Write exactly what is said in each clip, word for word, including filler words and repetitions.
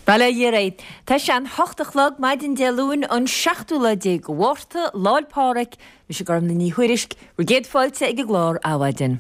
Bail ó Dhia oraibh. Tá sé an hocht a chlog maidin Dé Luain an seachtú lá déag de Mhárta, Lá 'le Pádraig, mise Gormlaith Ní Thuairisg, bhur gcéad fáilte ag an gclár Adhmhaidin.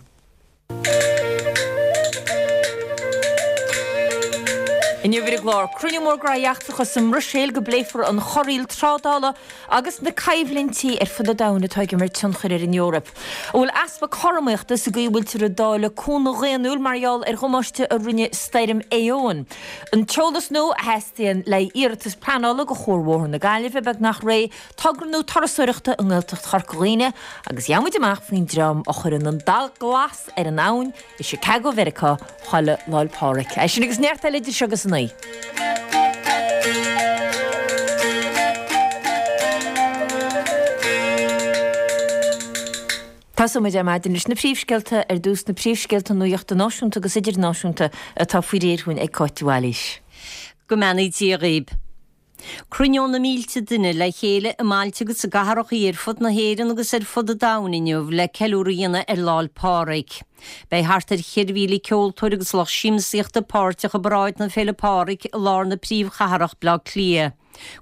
Inniu ar an gclár, cruinniú mór Gnóthaí Eachtracha sa mBruiséil go bpléifear an chorraíl trádála agus na coimhlintí ar fud an domhain atá ag imirt tionchair ar an Eoraip. An bhfuil easpa cothromaíochta sa gcaoi a bhfuiltear ag dáileadh cúnamh dhaonnúil mar gheall ar dhamáiste a rinne stoirm Éowyn? An t-eolas nua a theastaíonn le haghaidh iarratas pleanála do Chuarbhóthar na Gaillimhe beagnach réidh, togra nua turasóireachta i nGaeltacht Chorca Dhuibhne agus gheobhaidh muid amach faoin dream a chuireann an dath glas ar an abhainn i Chicago Mheiriceá chuile Lá 'le Pádraig. É sin agus neart eile idir seo agus a naoi. Tosóidh muid ar maidin leis na príomhscéalta ar dtús, na príomhscéalta nuachta náisiúnta agus idirnáisiúnta atá faoi réir dhúinn ag Cáit de Bhailís. Go mbeannaí Dia dhaoib. Cruinneoidh na mílte duine le chéile i mbailte agus i gcathrachaí ar fud na hÉireann agus ar fud an domhain inniu le ceiliúradh a dhéanamh ar Lá 'le Pádraig. Beidh thart ar cheithre mhíle ceoltóir agus lucht siamsaíochta páirteach i bparáid na Féile Pádraig i lár na príomhchathrach Baile Átha Cliath.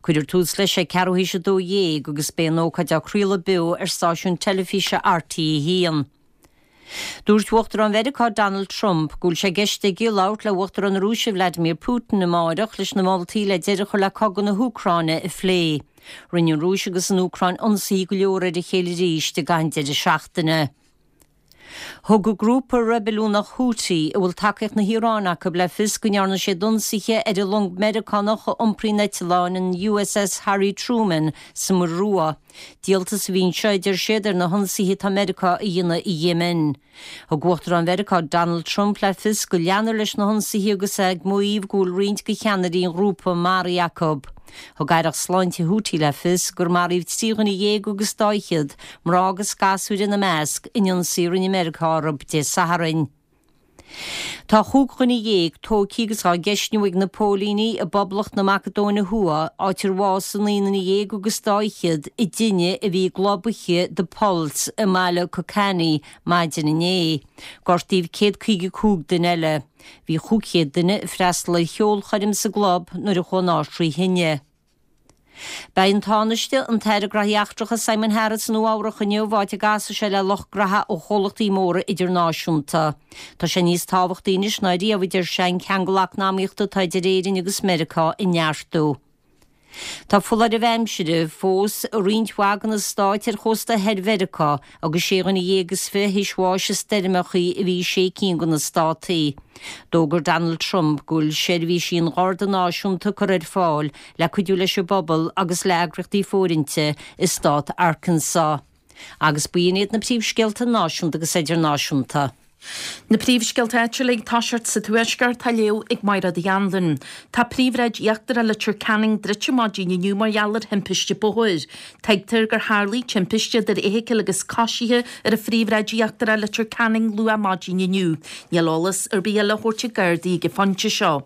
Cuirfear tús leis ag ceathrú théis a dó dhéag agus beidh an ócáid á craoladh beo ar stáisiún teilifíse RTÉ a haon. Dúirt Uachtarán Mheiriceá Donald Trump go bhfuil sé i gceist aige labhairt le Uachtarán na Rúise Vladimir Putin amáireach leis na moltaí le deireadh a chur le cogadh na hÚcráine a phlé. Rinne an Rúis agus an Úcráin ionsaithe go leor ar a chéile arís i gcaitheamh an deireadh seachtaine. Thug grúpa reibiliúnach Houthi, a bhfuil tacaíocht na hIaráine acu, le fios go ndearna siad ionsaithe ar an long Meiriceánach a iompraíonn eitleáin, an USS Harry Truman, sa Muir Rua. Díoltas a bhí anseo, a deir siad, ar na hionsaithe atá Meiriceá a dhéanamh i Yemen. Thug Uachtarán Mheiriceá Donald Trump le fios go leanfar leis na hionsaithe agus é ag maíomh go bhfuil roinnt de cheannairí an ghrúpa maraithe acu. Thug Aireacht Sláinte Houthi le fios gur maraíodh trí dhuine dhéag agus dá fhichead, mná agus gasúir ina measc, in ionsaí a rinne Meiriceá orthu Dé Sathairn. Tá chúig dhuine dhéag tógtha agus á gceistniú ag na póilíní i bPoblacht na Macadóine Thuaidh, áit ar bhásaigh naoi nduine dhéag agus dá fhichead i dtine a bhí i gclub oíche The Pulse i mbaile Kocani maidin inné. Gortaíodh céad caoga cúig duine eile. Bhí chúig chéad duine ag freastal ar cheolchoirm sa gclub nuair a chuaigh an áit trí thine. Beidh an Tánaiste, an tAire Gnóthaí Eachtracha Simon Harris i Nua Eabhrac inniu, áit a gcasfaidh sé le lucht graithe ó chomhlachtaí móra idirnáisiúnta. Tá sé níos tábhachtaí anois ná riamh, a deir sé, an ceangal eacnamaíochta atá idir Éirinn agus Meiriceá a neartú. Tá foláirimh aimsire fós i roinnt mhaith de na stáit ar chósta thoir Mheiriceá agus sé dhuine dhéag is fiche théis bháis i stoirmeachaí a bhí i sé cinn de na státaí. D'fhógair Donald Trump go bhfuil seirbhísí an Gharda Náisiúnta curtha ar fáil le cuidiú leis an bpobal agus le heagraíochtaí fóirithinte i stát Arkansas. Agus b'in iad na príomhscéalta náisiúnta agus idirnáisiúnta. Na príomhscéalta áitiúla ag toiseacht sa Tuaisceart á léamh ag Mairéad Uí Anluain. Tá príomhshráid íochtarach Leitir Ceanainn druidte maidin inniu mar gheall ar thimpiste bóthair. Tuigtear gur tharlaigh timpiste idir fheithicil agus coisithe ar an phríomhshráid íochtarach Leitir Ceanainn luath maidin inniu. Níl eolas ar bith eile á thabhairt ag Gardaí ag an phointe seo.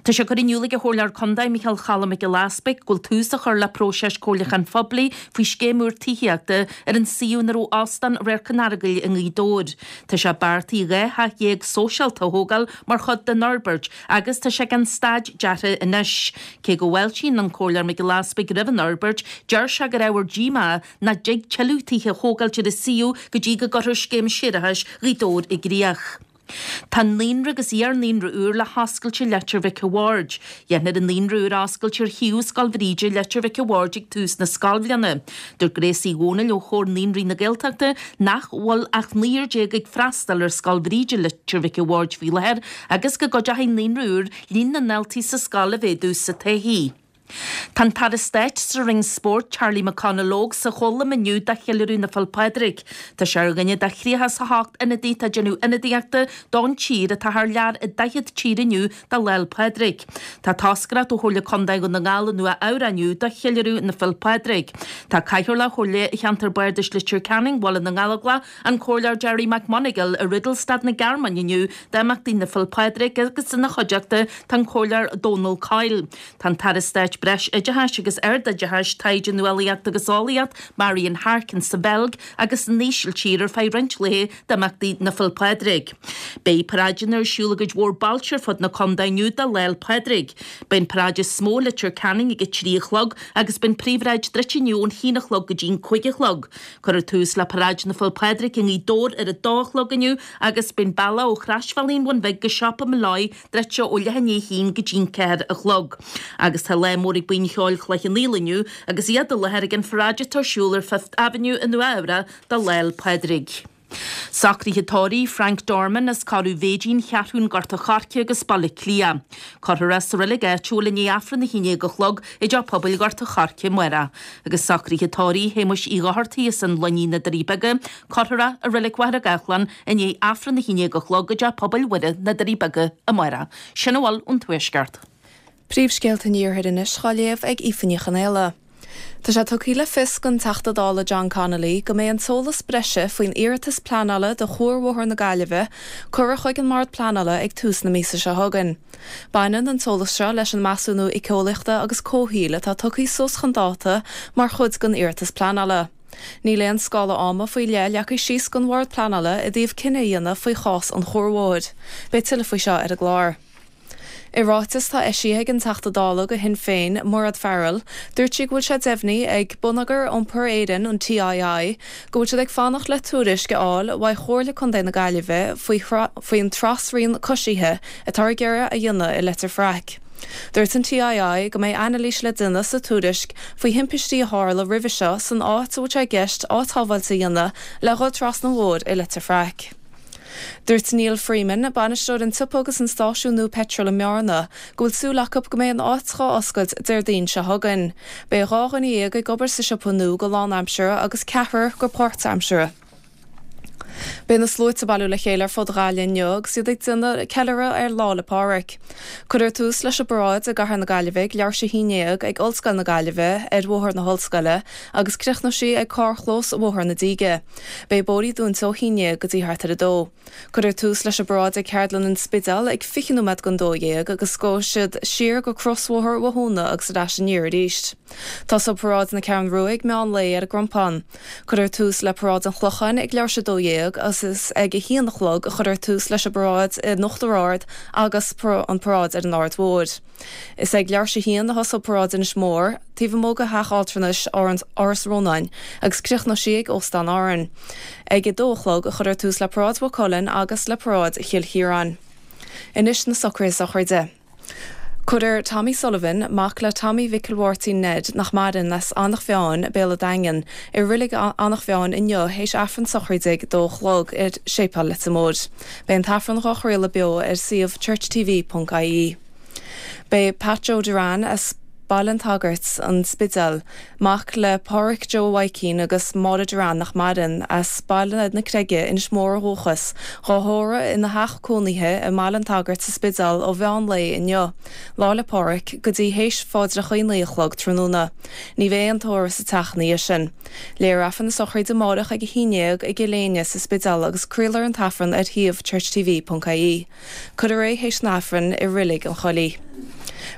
Tá sé curtha in iúl ag an Chomhairleoir Contae Micheál Cholm Mac Giolla Easpaig go bhfuil tús á chur le próiseas comhairliúcháin phoiblí faoi scéim úr tithíochta ar an suíomh ina raibh Óstán Radharc an Earagail i nGaoth Dobhair. Tá sé beartaithe dhá theach dhéag sóisialta a thógáil mar chuid den fhorbairt agus tá sé ag an staid deartha anois. Cé go bhfáiltíonn an Comhairleoir Mac Giolla Easpaig roimh an fhorbairt, deir sé gur ábhar díomá nach dtig tuilleadh tithe a thógáilt ar an suíomh go dtí go gcuirfear scéim séarachais Ghaoth Dobhair i gcrích. Tá naíonra agus iar-naíonra úr le hoscailt i Leitir Mhic a' Bhaird. Dhéanfar an naíonra úr a oscailt ar shuíomh Scoil Bhríde i Leitir Mhic a' Bhaird ag tús na scoilbhliana. Dúirt Grace Uí Dhomhnaill ó Chomhar Naíonraí na Gaeltachta nach bhfuil ach naonúr déag ag freastal ar Scoil Bhríde Leitir Mhic a' Bhaird faoi láthair agus go gcuideoidh an naíonra úr líon na ndaltaí sa scoil a mhéadú sa todhchaí. Tá an tAire Stáit sa Roinn Spóirt, Charlie McConalogue, sa Cholóim inniu do cheiliúradh na Féile Pádraig. Tá sé ar dhuine de thríocha is a hocht ionadaí atá ag déanamh ionadaíochta don tír atá thar lear i daichead tír inniu do Lá 'le Pádraig. Tá toscaireacht ó Chomhairle Contae Dhún na nGall i Nua Eabhrac inniu do cheiliúradh na Féile Pádraig. Tá Cathaoirleach Chomhairle Cheantar Bardais Leitir Ceanainn, Bhaile na nGallóglach, An Comhairleoir Gerry McMonagall i Rudolstadt na Gearmáine inniu d'imeachtaí na Féile Pádraig agus ina chuideachta tá an Comhairleoir Dónal Coyle. Tá an tAire Stáit Breis-Oideachais agus Ardoideachais, Taighde, Nuálaíocht agus Eolaíocht, Marian Harkin sa Bheilg agus san Ísiltír ar feadh roinnt laetha d'imeachtaí na Féile Pádraig. Beidh paráideanna ar siúl i gcuid mhór bailte ar fud na contae inniu do Lá 'le Pádraig. Beidh an paráid is mó i Leitir Ceanainn ag a trí a chlog agus beidh an phríomhshráid druidte inniu ón haon a chlog go dtí an cúig a chlog. Cuirfear tús le paráid na Féile Pádraig i nGaoth Dobhair ar a dó a chlog inniu agus beidh an bealach ó Chroisbhealaí an Bhun Bhig go Siopa Molloy druidte ó leath i ndiaidh a haon go dtí an ceathair a chlog. Agus tá lá mór ag Buíon Cheoil Chloich Cheann Fhaola inniu agus iad i láthair ag an pharáid atá ar siúl ar Fifth Avenue i Nua Eabhrac do Lá 'le Pádraig. Socruithe tórraimh Frank Dorman as Corradh Mhéidín, Cheathrún Gort a' Choirce agus Baile Átha Cliath. Cuirfear é sa reilig áitiúil i ndiaidh Aifreann a haon déag a chlog i dTeach Pobail Ghort a' Choirce amárach. Agus socruithe tórraimh Shéamuis Uí Dhochartaigh as an Luinín na Doirí Beaga, cuirfear é i reilig Mhachaire Gathlán i ndiaidh Aifreann a haon déag a chlog i dTeach Pobail Mhuire na Doirí Beaga amárach. Sin a bhfuil ón Tuaisceart. Príomhscéalta an Iarthair anois á léamh ag Aoife Ní Chonaola. Tá sé tugtha le fios ag an Teachta Dála John Connolly go mbeidh an t-eolas breise faoin iarratas pleanála do Chuarbhóthar na Gaillimhe curtha chuig an mBord Pleanála ag tús na míosa seo chugainn. Baineann an t-eolas seo leis an measúnú éiceolaíochta agus comhshaoil atá tugtha suas chun dáta mar chuid den iarratas pleanála. Níl aon scála ama faoi leith leagtha síos ag an Bhord Pleanála i dtaobh cinneadh a dhéanamh faoi chás an chuarbhóthair. Beidh tuilleadh faoi seo ar an gclár. I ráiteas atá eisithe ag an Teachta Dála do Shinn Féin, Mairéad Farrell, dúirt sí go bhfuil sé deimhnithe ag Bonneagar Iompair Éireann an TII go bhfuil siad ag fanacht le tuairisc a fháil uaidh Chomhairle Contae na Gaillimhe faoi faoin trasrian coisithe atá ag iarraidh a dhéanamh i Leitir Fraic. Dúirt an TII go mbeidh anailís le déanamh sa tuairisc faoi thimpistí a tharla roimhe seo san áit a bhfuil sé i gceist áit shábháilte a dhéanamh le dhul trasna an bhóthair i Leitir Fraic. Dúirt Neil Freeman, bainisteoir an tsiopa agus an stáisiún nua peitril i mBearna, go bhfuil súil acu go mbeidh an áit dhá oscailt Déardaoin seo chugainn. Beidh dhá dhuine dhéag ag obair sa siopa nua go lánaimseartha agus ceathrar go páirtaimseartha. Beidh na sluaite ag bailiú le chéile ar fud Ghaillimh inniu agus iad ag déanamh ceiliúradh ar Lá 'le Pádraig. Cuirfear tús leis an bparáid i gCathair na Gaillimhe ag leathuair tar éis a haon déag ag Ollscoil na Gaillimhe ar Bhóthar na hOllscoile agus críochnóidh sí ag carrchlós Bhóthar na Díge. Beidh bóithrí dúnta ó haon déag go dtí thart ar a dó. Cuirfear tús leis an bparáid ag Ceardlann an Spidéil ag fiche nóiméad don dó dhéag agus gabhfaidh siad siar go Crosbhóthar Bhothúna agus ar ais aniar arís. Tosóidh paráid na Ceathrún Rua ag meán lae ar an gCrompán. Cuirfear tús le paráid an Chlocháin ag leathuair tar éis a dó dhéag agus is ag a haon a chlog a chuirfear tús leis an bparáid in Uachtar Ard agus an paráid ar an Aird Mhóir. Is ag leathuair tar éis a haon a thosóidh paráid Inis Mór, taobh amuigh de theach altranais Áras Rónáin agus críochnóidh sí ag Óstán Árann. Ag a dó a chlog a chuirfear tús le paráid Mhaigh Cuilinn agus le paráid Chill Chiaráin. Anois na socruithe sochraide. Cuirfear Tommy Sullivan, mac le Tommy Mhicil Mháirtín Ned nach maireann as Eanach Mheáin, Béal an Daingin, i reilig Eanach Mheáin inniu théis Aifreann sochraide ag dó a chlog ar Séipéal Leitir Móir. Beidh an t-aifreann dhá chraoladh beo ar suíomh churchtv.ie. Beidh Pat Joe Duran as Baile an tSagairt an Spidéal, mac le Pádraig Joe Mhaidhcín agus Máire Duran nach maireann as Baile na Creige Inis Mór ó dhúchas, dhá thórramh ina theach cónaithe i mBaile an tSagairt sa Spidéal ó mheán lae inniu, Lá 'le Pádraig go dtí théis phaidreacha naoi a chlog tráthnóna. Ní bheidh aon tórramh sa teach ina dhiaidh sin. Léifear Aifreann na sochraide amárach ag a haon déag i gCill Éinne sa Spidéal agus craolfar an t-aifreann ar shuíomh churchtv.ie. Cuirfear é théis an Aifrinn i reilig an Choilligh.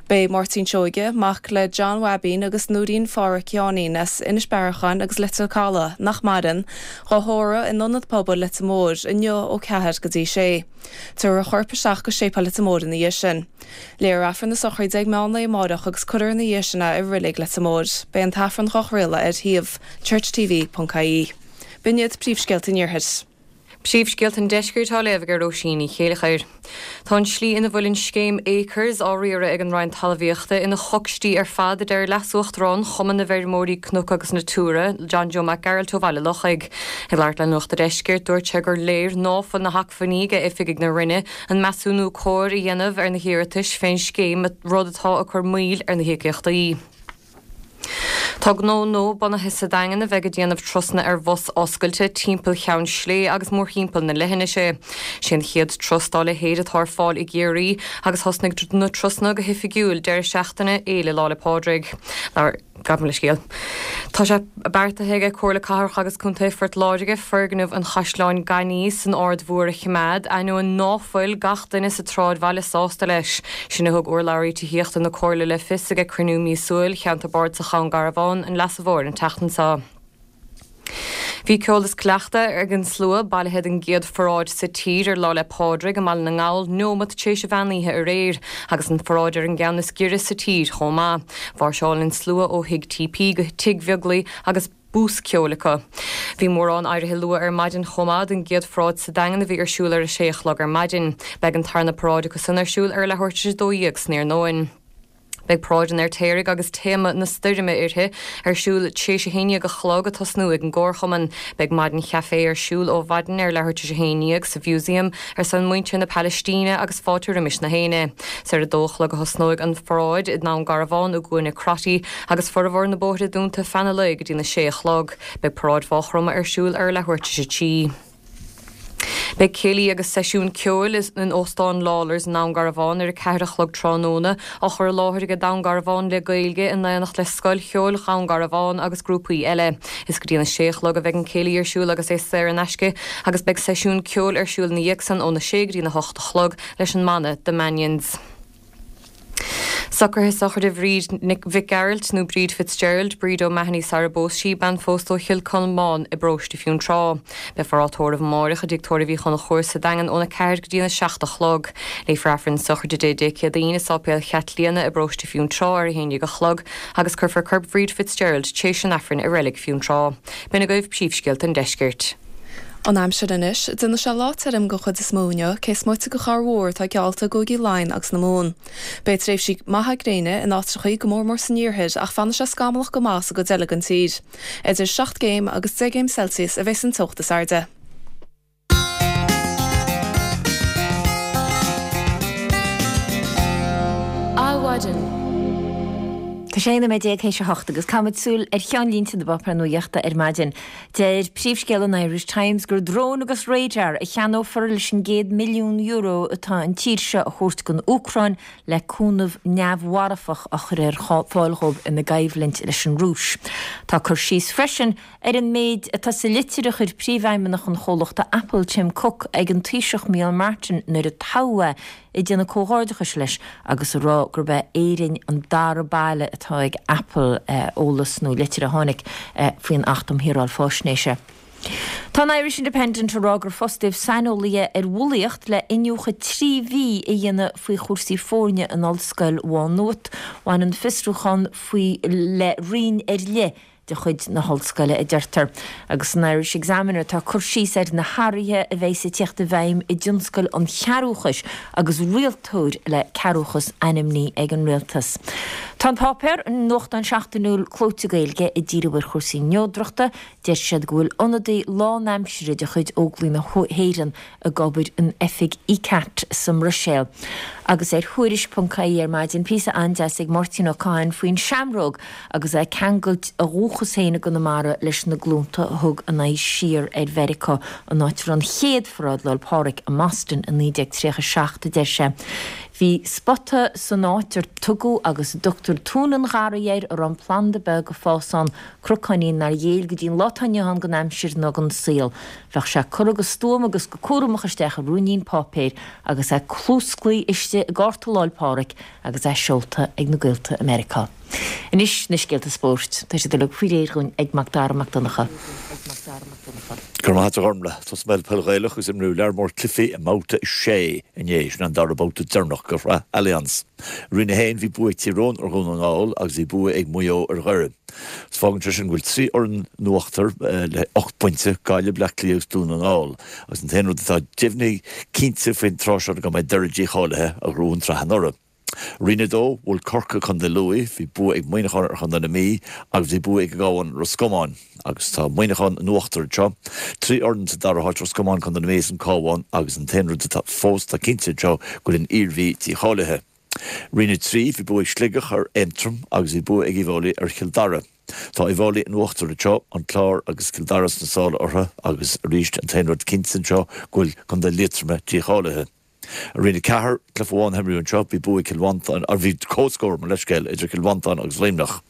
Beidh Máirtín Seoige, mac le John Wabín agus Núirín Phádraic Sheáinín as Inis Bearacháin agus Leitir Caladh nach maireann, dhá thórramh in ionad pobail Leitir Móir inniu ó ceathair go dtí sé. Tabharfar a chorp isteach go Séipéal Leitir Móir ina dhiaidh sin. Léifear Aifreann na sochraide ag meán lae amárach agus cuirfear ina dhiaidh sin é i reilig Leitir Móir. Beidh an t-aifreann dhá chraoladh ar shuíomh churchtv.ie. B'in iad príomhscéalta an Iarthair. Príomhscéalta an Deiscirt á léamh ag Róisín Ní Chéileachair. Tá an slí ina bhfuil an scéim Acres á riaradh ag an Roinn Talmhaíochta ina chocstí ar fad a deir Leas-Uachtarán Chumann na bhFeirmeoirí Cnoc agus Natura, John Joe Mac Gearailt ó Bhaile Lochaigh. Ag labhairt le Nuacht an Deiscirt dúirt sé gur léir ná fuil na hacmhainní ag oifigigh na Roinne an measúnú cóir a dhéanamh ar na hiarratais fén scéim rud atá ag cur moill ar na híocaíochtaí. Tá gnó nua bunaithe sa Daingean a bheidh ag déanamh turasanna ar bhus oscailte timpeall Cheann Slé agus mórthimpeall na leithinise. Sé an chéad turas dá leithéid atá ar fáil i gCiarraí agus thosnaigh na turasanna go hoifigiúil deireadh seachtaine Fhéile Lá 'le Pádraig. Gabh mo leithscéal. Tá sé beartaithe ag Comhairle Cathrach agus Contae Phort Láirge foirgneamh an Chaisleáin Gainimh san Aird Mhór a choimeád, ainneoin ná fuil gach duine sa tsráidbhaile sásta leis. Sin a thug urlabhraí tithíochta na Comhairle le fios ag cruinniú míosúil Cheantar Bardasach Dhún Garbhán an Leasa Mhóir an tseachtain seo. Bhí ceol is cleachtadh ag an slua bailithe don gcéad pharáid sa tír ar Lá 'le Pádraig i mBaile na nGall neomat tar éis an mheán oíche aréir, agus an pharáid ar an gceann is giorra sa tír chomh maith. Mháirseáil an slua ó Thigh TP go Tigh Bheaglaoich agus bús ceoil acu. Bhí mórán éirithe luath ar maidin chomh maith don gcéad pharáid sa Daingean a bhí ar siúl ar a sé a chlog ar maidin. Beidh an tarna paráid acu san ar siúl ar leathuair tar éis a dó dhéag san iarnóin. Beidh paráid an Fheirtéaraigh agus téama na stoirme uirthi ar siúl tar éis a haon déag a chlog ag tosnú ag an gComharchumann. Beidh maidin chaife ar siúl ó mhaidin ar leathuair tar éis a haon déag sa Mhúsaem ar son muintir na Palaistíne agus fáilte roimis na héinne. Is ar a dó a chlog a thosnóidh an pharáid i nDún Garbhán i gCuan Crotty agus formhór na bóithre dúnta feadh an lae go dtí na sé a chlog. Beidh paráid Mhaigh Chromtha ar siúl ar leathuair tar éis a trí. Beidh céilí agus seisiún ceoil in Óstán Lawlor's i nDún Garbhán ar a ceathair a chlog tráthnóna, á chur i láthair ag Dún Garbhán le Gaeilge in éineacht le Scoil Cheoil Dhún Garbhán agus grúpaí eile. Is go dtí na sé a chlog a bheidh an céilí ar siúl agus é saor in aisce agus beidh seisiún ceoil ar siúl ina dhiaidh san óna sé go dtí na hocht a chlog leis an mbanna The Mannions. Socruithe sochraide Bhríd Nic Mhic Gearailt nó Bríd Fitzgerald, Bríd O'Mahony sara bpós sí, bean phósta ó Chill Colmáin i bparóiste Fionntrá. Beifear á tórramh amáireach i dTigh Tórraimh Uí Chonchúir sa Daingean óna ceathair go dtí na seacht a chlog. Léifear Aifreann sochraide Dé Dé Céadaoin i Sáipéal Chaitlíona i bparóiste Fionntrá ar a haon déag a chlog agus cuirfear corp Bhríd Fitzgerald tar éis an Aifrinn i reilig Fionntrá. B'in agaibh príomhscéalta an deiscirt. An aimsir anois, déanfaidh sé lá tirim den chuid is mó inniu, cé is moite de chorrmhúr atá geallta i gcúigí Laighean agus na Mumhan. Beidh tréimhsí maithe gréine in áiteachaí go mór mór san iarthar ach fanfaidh sé scamallach go maith sa gcuid eile den tír. Idir seacht gcéim agus deich gcéim Celsius a bheas an teocht is airde. Adhmhaidin. Tá sé aon nóiméad déag théis a hocht agus caithfimid súil ar cheannlínte na bpáipéar nuachta ar maidin. Deir príomhscéal an Irish Times gur drón agus radar a cheannófar leis an gcéad milliún euro atá an tír seo a thabhairt don Úcráin le cúnamh neamh-mharfach a chur ar fáil dhóibh ina gcoimhlint leis an Rúis. Tá cur síos freisin ar an méid atá sa litir a chuir príomhfheidhmeannach an chomhlachta Apple Tim Cook ag an Taoiseach Micheál Martin nuair a toghadh é ag déanamh comhghairdeachais leis agus ag rá gurb é Éirinn an dara baile atá ag Apple eolas nó litir a tháinig faoin Acht um Shaoráil Faisnéise. Tá an Irish Independent ag rá gur fostaíodh saineolaithe ar bhulaíocht le iniúchadh trí mhí a dhéanamh faoi chúrsaí foirne in Ollscoil Mhá Nuad. Bhain an fiosrúchán faoi le roinn ar leith de chuid na hollscoile a deirtear. Agus san Irish Examiner tá cur síos ar na hathruithe a bheidh ag teacht i bhfeidhm i dtionscal an chearúchais agus rialtóir le cearúchas ainmnithe ag an rialtas. Tá an páipéar, an nuachtán seachtainiúil clóite Gaeilge, ag díriú ar chúrsaí neodrachta. Deir siad go bhfuil ionadaí lánaimseartha de chuid Óglaigh na hÉireann ag obair in oifig ICCAT sa mBruiséil. Agus ar Thuairisc ponc ie ar maidin, píosa an-deas ag Máirtín Ó Cadhain faoin seamróg agus é ag ceangailt a dhúchas féin i gConamara leis na glúnta a thug a n-aghaidh siar ar Mheiriceá, an áit a raibh an chéad pharáid Lá 'le Pádraig i mBoston i naoi déag tríocha seacht, a deir sé. Bhí spota san áit ar tugadh agus a dtugtar Tóin an Gharraí air a raibh an planda beag ag fás ann, crocáinín nár ghéill go dtí an lá atá inniu ann don aimsir ná don saol. Bheadh sé curtha go stuama agus go cúramach isteach i ruainnín páipéir agus é clúsclaí istigh i gcárta Lá 'le Pádraig agus é seolta ag na gaolta i Meiriceá. Anois na scéalta spóirt. Tá siad uilig faoi réir dhúinn ag Mac Dara Mac Donncha. Go raibh maith agat a Ghormlaith. Tosóidh mé le peil Ghaelach agus imríodh lear mór cluichí i mbabhta a sé inné, sin an dara babhta deireanach de shraith Allianz. I Roinn a haon bhí bua ag Tír Eoghain ar Dhún na nGall agus bhí bua ag Maigh Eo ar Dhoire. Is fágann sé sin go bhfuil trí fhoireann in uachtar le ocht bpointe, Gaillimh, Bleá Cliath agus Dún na nGall. Agus an t-aon rud atá deimhnithe cinnte faoin tráth seo go mbeidh Doire dícháilithe a ghnóthaigh an tsraith anuraidh. Roinn a dó, bhuail Corcaigh Contae Lú, bhí bua ag Muineachán ar Chontae na Mí agus bhí bua ag an gCabhán ar Ros Comáin. Agus tá Muineachán in uachtar anseo. Trí fhoireann sa dara háit, Ros Comáin, Contae na Mí is an Cabhán agus an t-aon rud atá fós atá cinnte anseo go bhfuil an Iarmhí dícháilithe. Roinn a trí, bhí bua ag Sligeach ar Aontroim agus bhí bua ag Uíbh Fhailí ar Chill Dara. Tá Uíbh Fhailí in uachtar anseo, an Clár agus Cill Dara sna sála orthu agus arís an t-aon rud cinnte anseo go bhfuil Contae Liatroma dícháilithe. I Roinn a ceathair, cluiche amháin a himríodh anseo, bhí bua ag Cill Mhantáin, ar bhí comhscór, mo leithscéal, idir Cill Mhantáin agus Luimneach.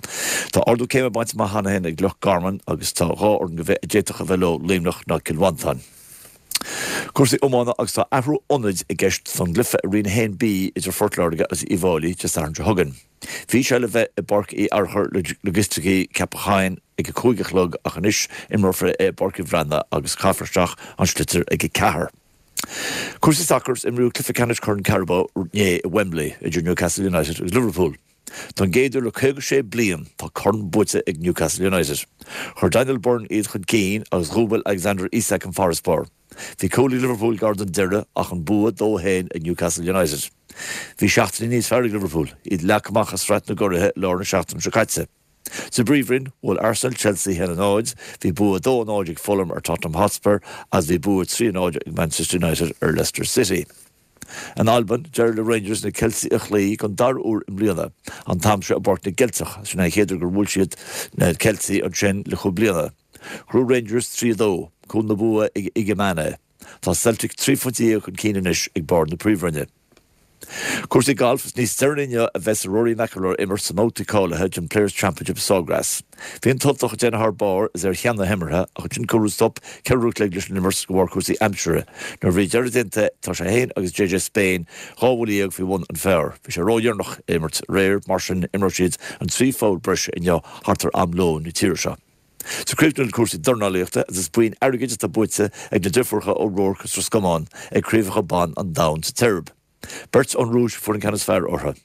Tá ardú céime bainte amach cheana féin ag Loch Garman agus tá dhá fhoireann go bhfeith a d'fhéadfadh a bheith leo, Luimneach ná Cill Mhantáin. Cúrsaí iomána agus tá athrú ionaid i gceist don gcluiche i Roinn a haon B idir Phort Láirge agus Uíbh Fhailí Dé Sathairn seo chugainn. Bhí sé le bheith i bPáirc Uí Fhearchair Logisticí Ceapach ag a cúig a chlog ach anois imreofar é i bPáirc Uí Bhraonáin agus caithfear isteach an sliotar ag a ceathair. Cúrsaí sacair, Imríodh cluiche ceannais Chorn Carabao inné i Wembley idir Newcastle United agus Liverpool. Don gcéad uair le caoga sé bliain tá corn buaite ag Newcastle United. Chuir Daniel Burn iad chun cinn agus dhúbail Alexander Isak an farasbarr. Bhí cúl ag Liverpool gar don deireadh ach an bua dó a haon ag Newcastle United. Bhí seachtain níos fearr ag Liverpool, iad leagtha amach as Sraith na gCuraithe i lár na seachtaine seo caite. Sa bPríomhroinn, bhuail Arsenal Chelsea a haon a náid, bhí bua dó a náid ag Fulham ar Tottenham Hotspur agus bhí bua trí a náid ag Manchester United ar Leicester City. In Albain, d'éirigh le Rangers na Ceiltigh a chloí don dara huair i mbliana, an t-am seo i bPáirc na gCeilteach. Sin é an chéad uair gur bhuail siad na Ceiltigh ansin le cúig bliana. Ghnóthaigh Rangers trí a dó, cúl na bua ag Igamane. Tá Celtic trí phointe dhéag chun cinn anois ag barr na Príomhroinne. Cúrsaí gailf, Is níos deireanaí inniu a bheas Rory McIlroy ag imirt sa mbabhta cáilithe den Players Championship i Sawgrass. Bhí an tUltach ag déanamh thar barr is é ar cheann na himeartha ach ansin cuireadh stop ceithre uair an chloig leis an imirt de bharr cúrsaí aimsire. Nuair a bhí deireadh déanta tá sé féin agus J J Spain dhá bhuille dhéag faoi bhun an phar. Bhí sé ródheireanach a imirt aréir, mar sin imreoidh siad an trí pholl breise inniu thart ar am lóin na tíre seo. So críochnú le cúrsaí dornálaíochta agus is boinn airgid atá buaite ag na deirfiúracha O'Rourke as Ros Comáin ag Craobhacha Ban an Domhain sa tSeirb. Beirt ón Rúis a fuair an ceann is fearr orthu,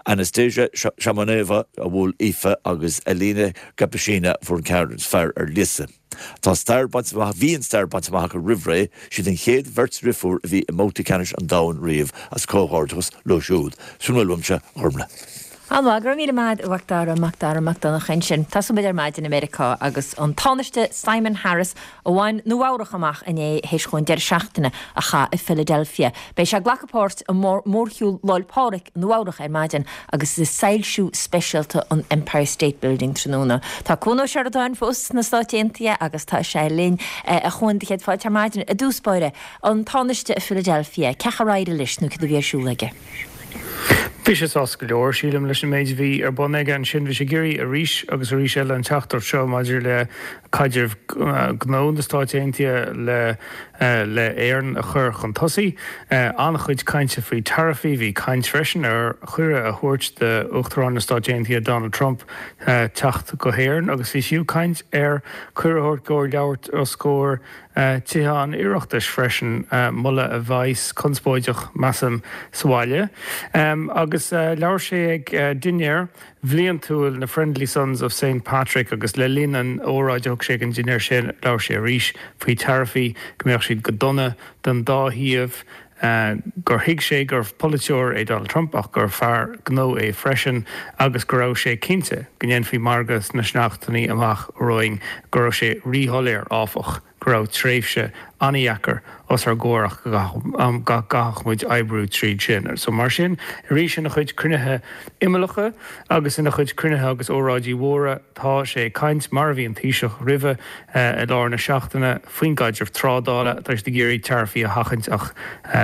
Anastasia Shamanova a bhuail Aoife agus Alina Gapishina a fuair an ceann is fearr ar Lisa. Tá stair bainte amach, bhí an stair bainte amach acu roimh ré, siad an chéad bheirt dhriofúr a bhí i mbabhtaí ceannais an domhain riamh agus comhghairdeachas leo siúd. Sin a bhfuil uaimse, a Ghormfhlaith. An-mhaith, go raibh míle maith agat a Mhac Dara, Mac Dara Mac Donncha ansin. Tosóidh muid ar maidin i Meiriceá agus an Tánaiste Simon Harris a bhain Nua Eabhrac amach inné théis dhó an deireadh seachtaine a chaitheamh i Philadelphia. Beidh sé ag glacadh páirt i mórshiúl Lá 'le Pádraig i Nua Eabhrac ar maidin agus i soilsiú speisialta an Empire State Building tráthnóna. Tá Cuan Ó Seireadáin fós sna Stáit Aontaithe agus tá sé linn. A Chuain, do chéad fáilte ar maidin. I dtús báire, an Tánaiste i Philadelphia, cén chaoi ar éirigh leis nó cad a bhí ar siúl aige? Bhí sé sásta go leor, sílim, leis an méid a bhí ar bun aige ansin. Bhí sé ag iarraidh arís agus arís eile an teachtaireacht seo maidir le caidreamh gnó na Stáit Aontaithe le le Éirinn a chur chun tosaigh. An-chuid cainte faoi taraifí. Bhí caint freisin ar chuireadh a thabhairt d'Uachtarán na Stáit Aontaithe Donald Trump teacht go hÉirinn agus bhí fiú caint ar cuireadh a thabhairt dó labhairt os comhair Tithe an Oireachtais freisin, moladh a bheas conspóideach, measaim, sa bhaile. Agus labhair sé ag dinnéar bhliantúil na Friendly Sons of Saint Patrick agus le linn an óráid a thug sé ag an dinnéar sin, labhair sé arís faoi taraifí, go mbeadh siad go dona don dá thaobh. gur thuig sé gur polaiteoir é Donald Trump ach gur fear gnó é freisin agus go raibh sé cinnte go ndéanfaí margadh sna seachtainí amach romhainn, go raibh sé ríshoiléir, áfach, go raibh tréimhse an-dheacair os ár gcomhair ach go gcaithfeadh muid oibriú tríd sin. So mar sin, arís ina chuid cruinnithe imeallacha agus ina chuid cruinnithe agus óráidí mhóra, tá sé ag caint, mar a bhí an Taoiseach roimhe i lár na seachtaine, faoin gcaidreamh trádála. Tá siad ag iarraidh taraifí a sheachaint ach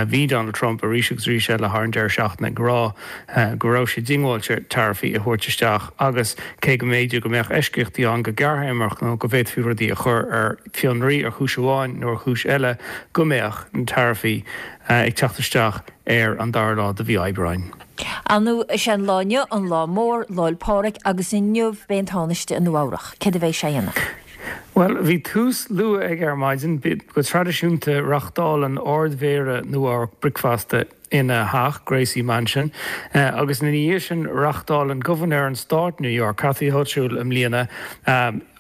bhí Donald Trump arís agus arís eile thar an deireadh seachtaine ag rá go raibh sé diongbháilte taraifí a thabhairt isteach agus cé go mb'fhéidir go mbeadh eisceachtaí ann go gearrthéarmach nó go bhféadfaí rudaí a chur ar fionraí ar chúis amháin nó ar chúis eile, go mbeadh na taraifí ag teacht isteach ar an dara lá de mhí Aibreáin. Ar ndóigh, is é an lá inniu an lá mór, Lá 'le Pádraig, agus inniu beidh an Tánaiste i Nua Eabhrach. Céard a bheidh sé a dhéanamh? Bhuel, bhí tús luath aige ar maidin. Go traidisiúnta, reáchtálann Ard-Mhéara Nua Eabhrac bricfeasta ina theach, Gracie Mansion, agus ina dhiaidh sin reáchtálann Gobharnóir an Stáit New York, Kathy Hochul i mbliana,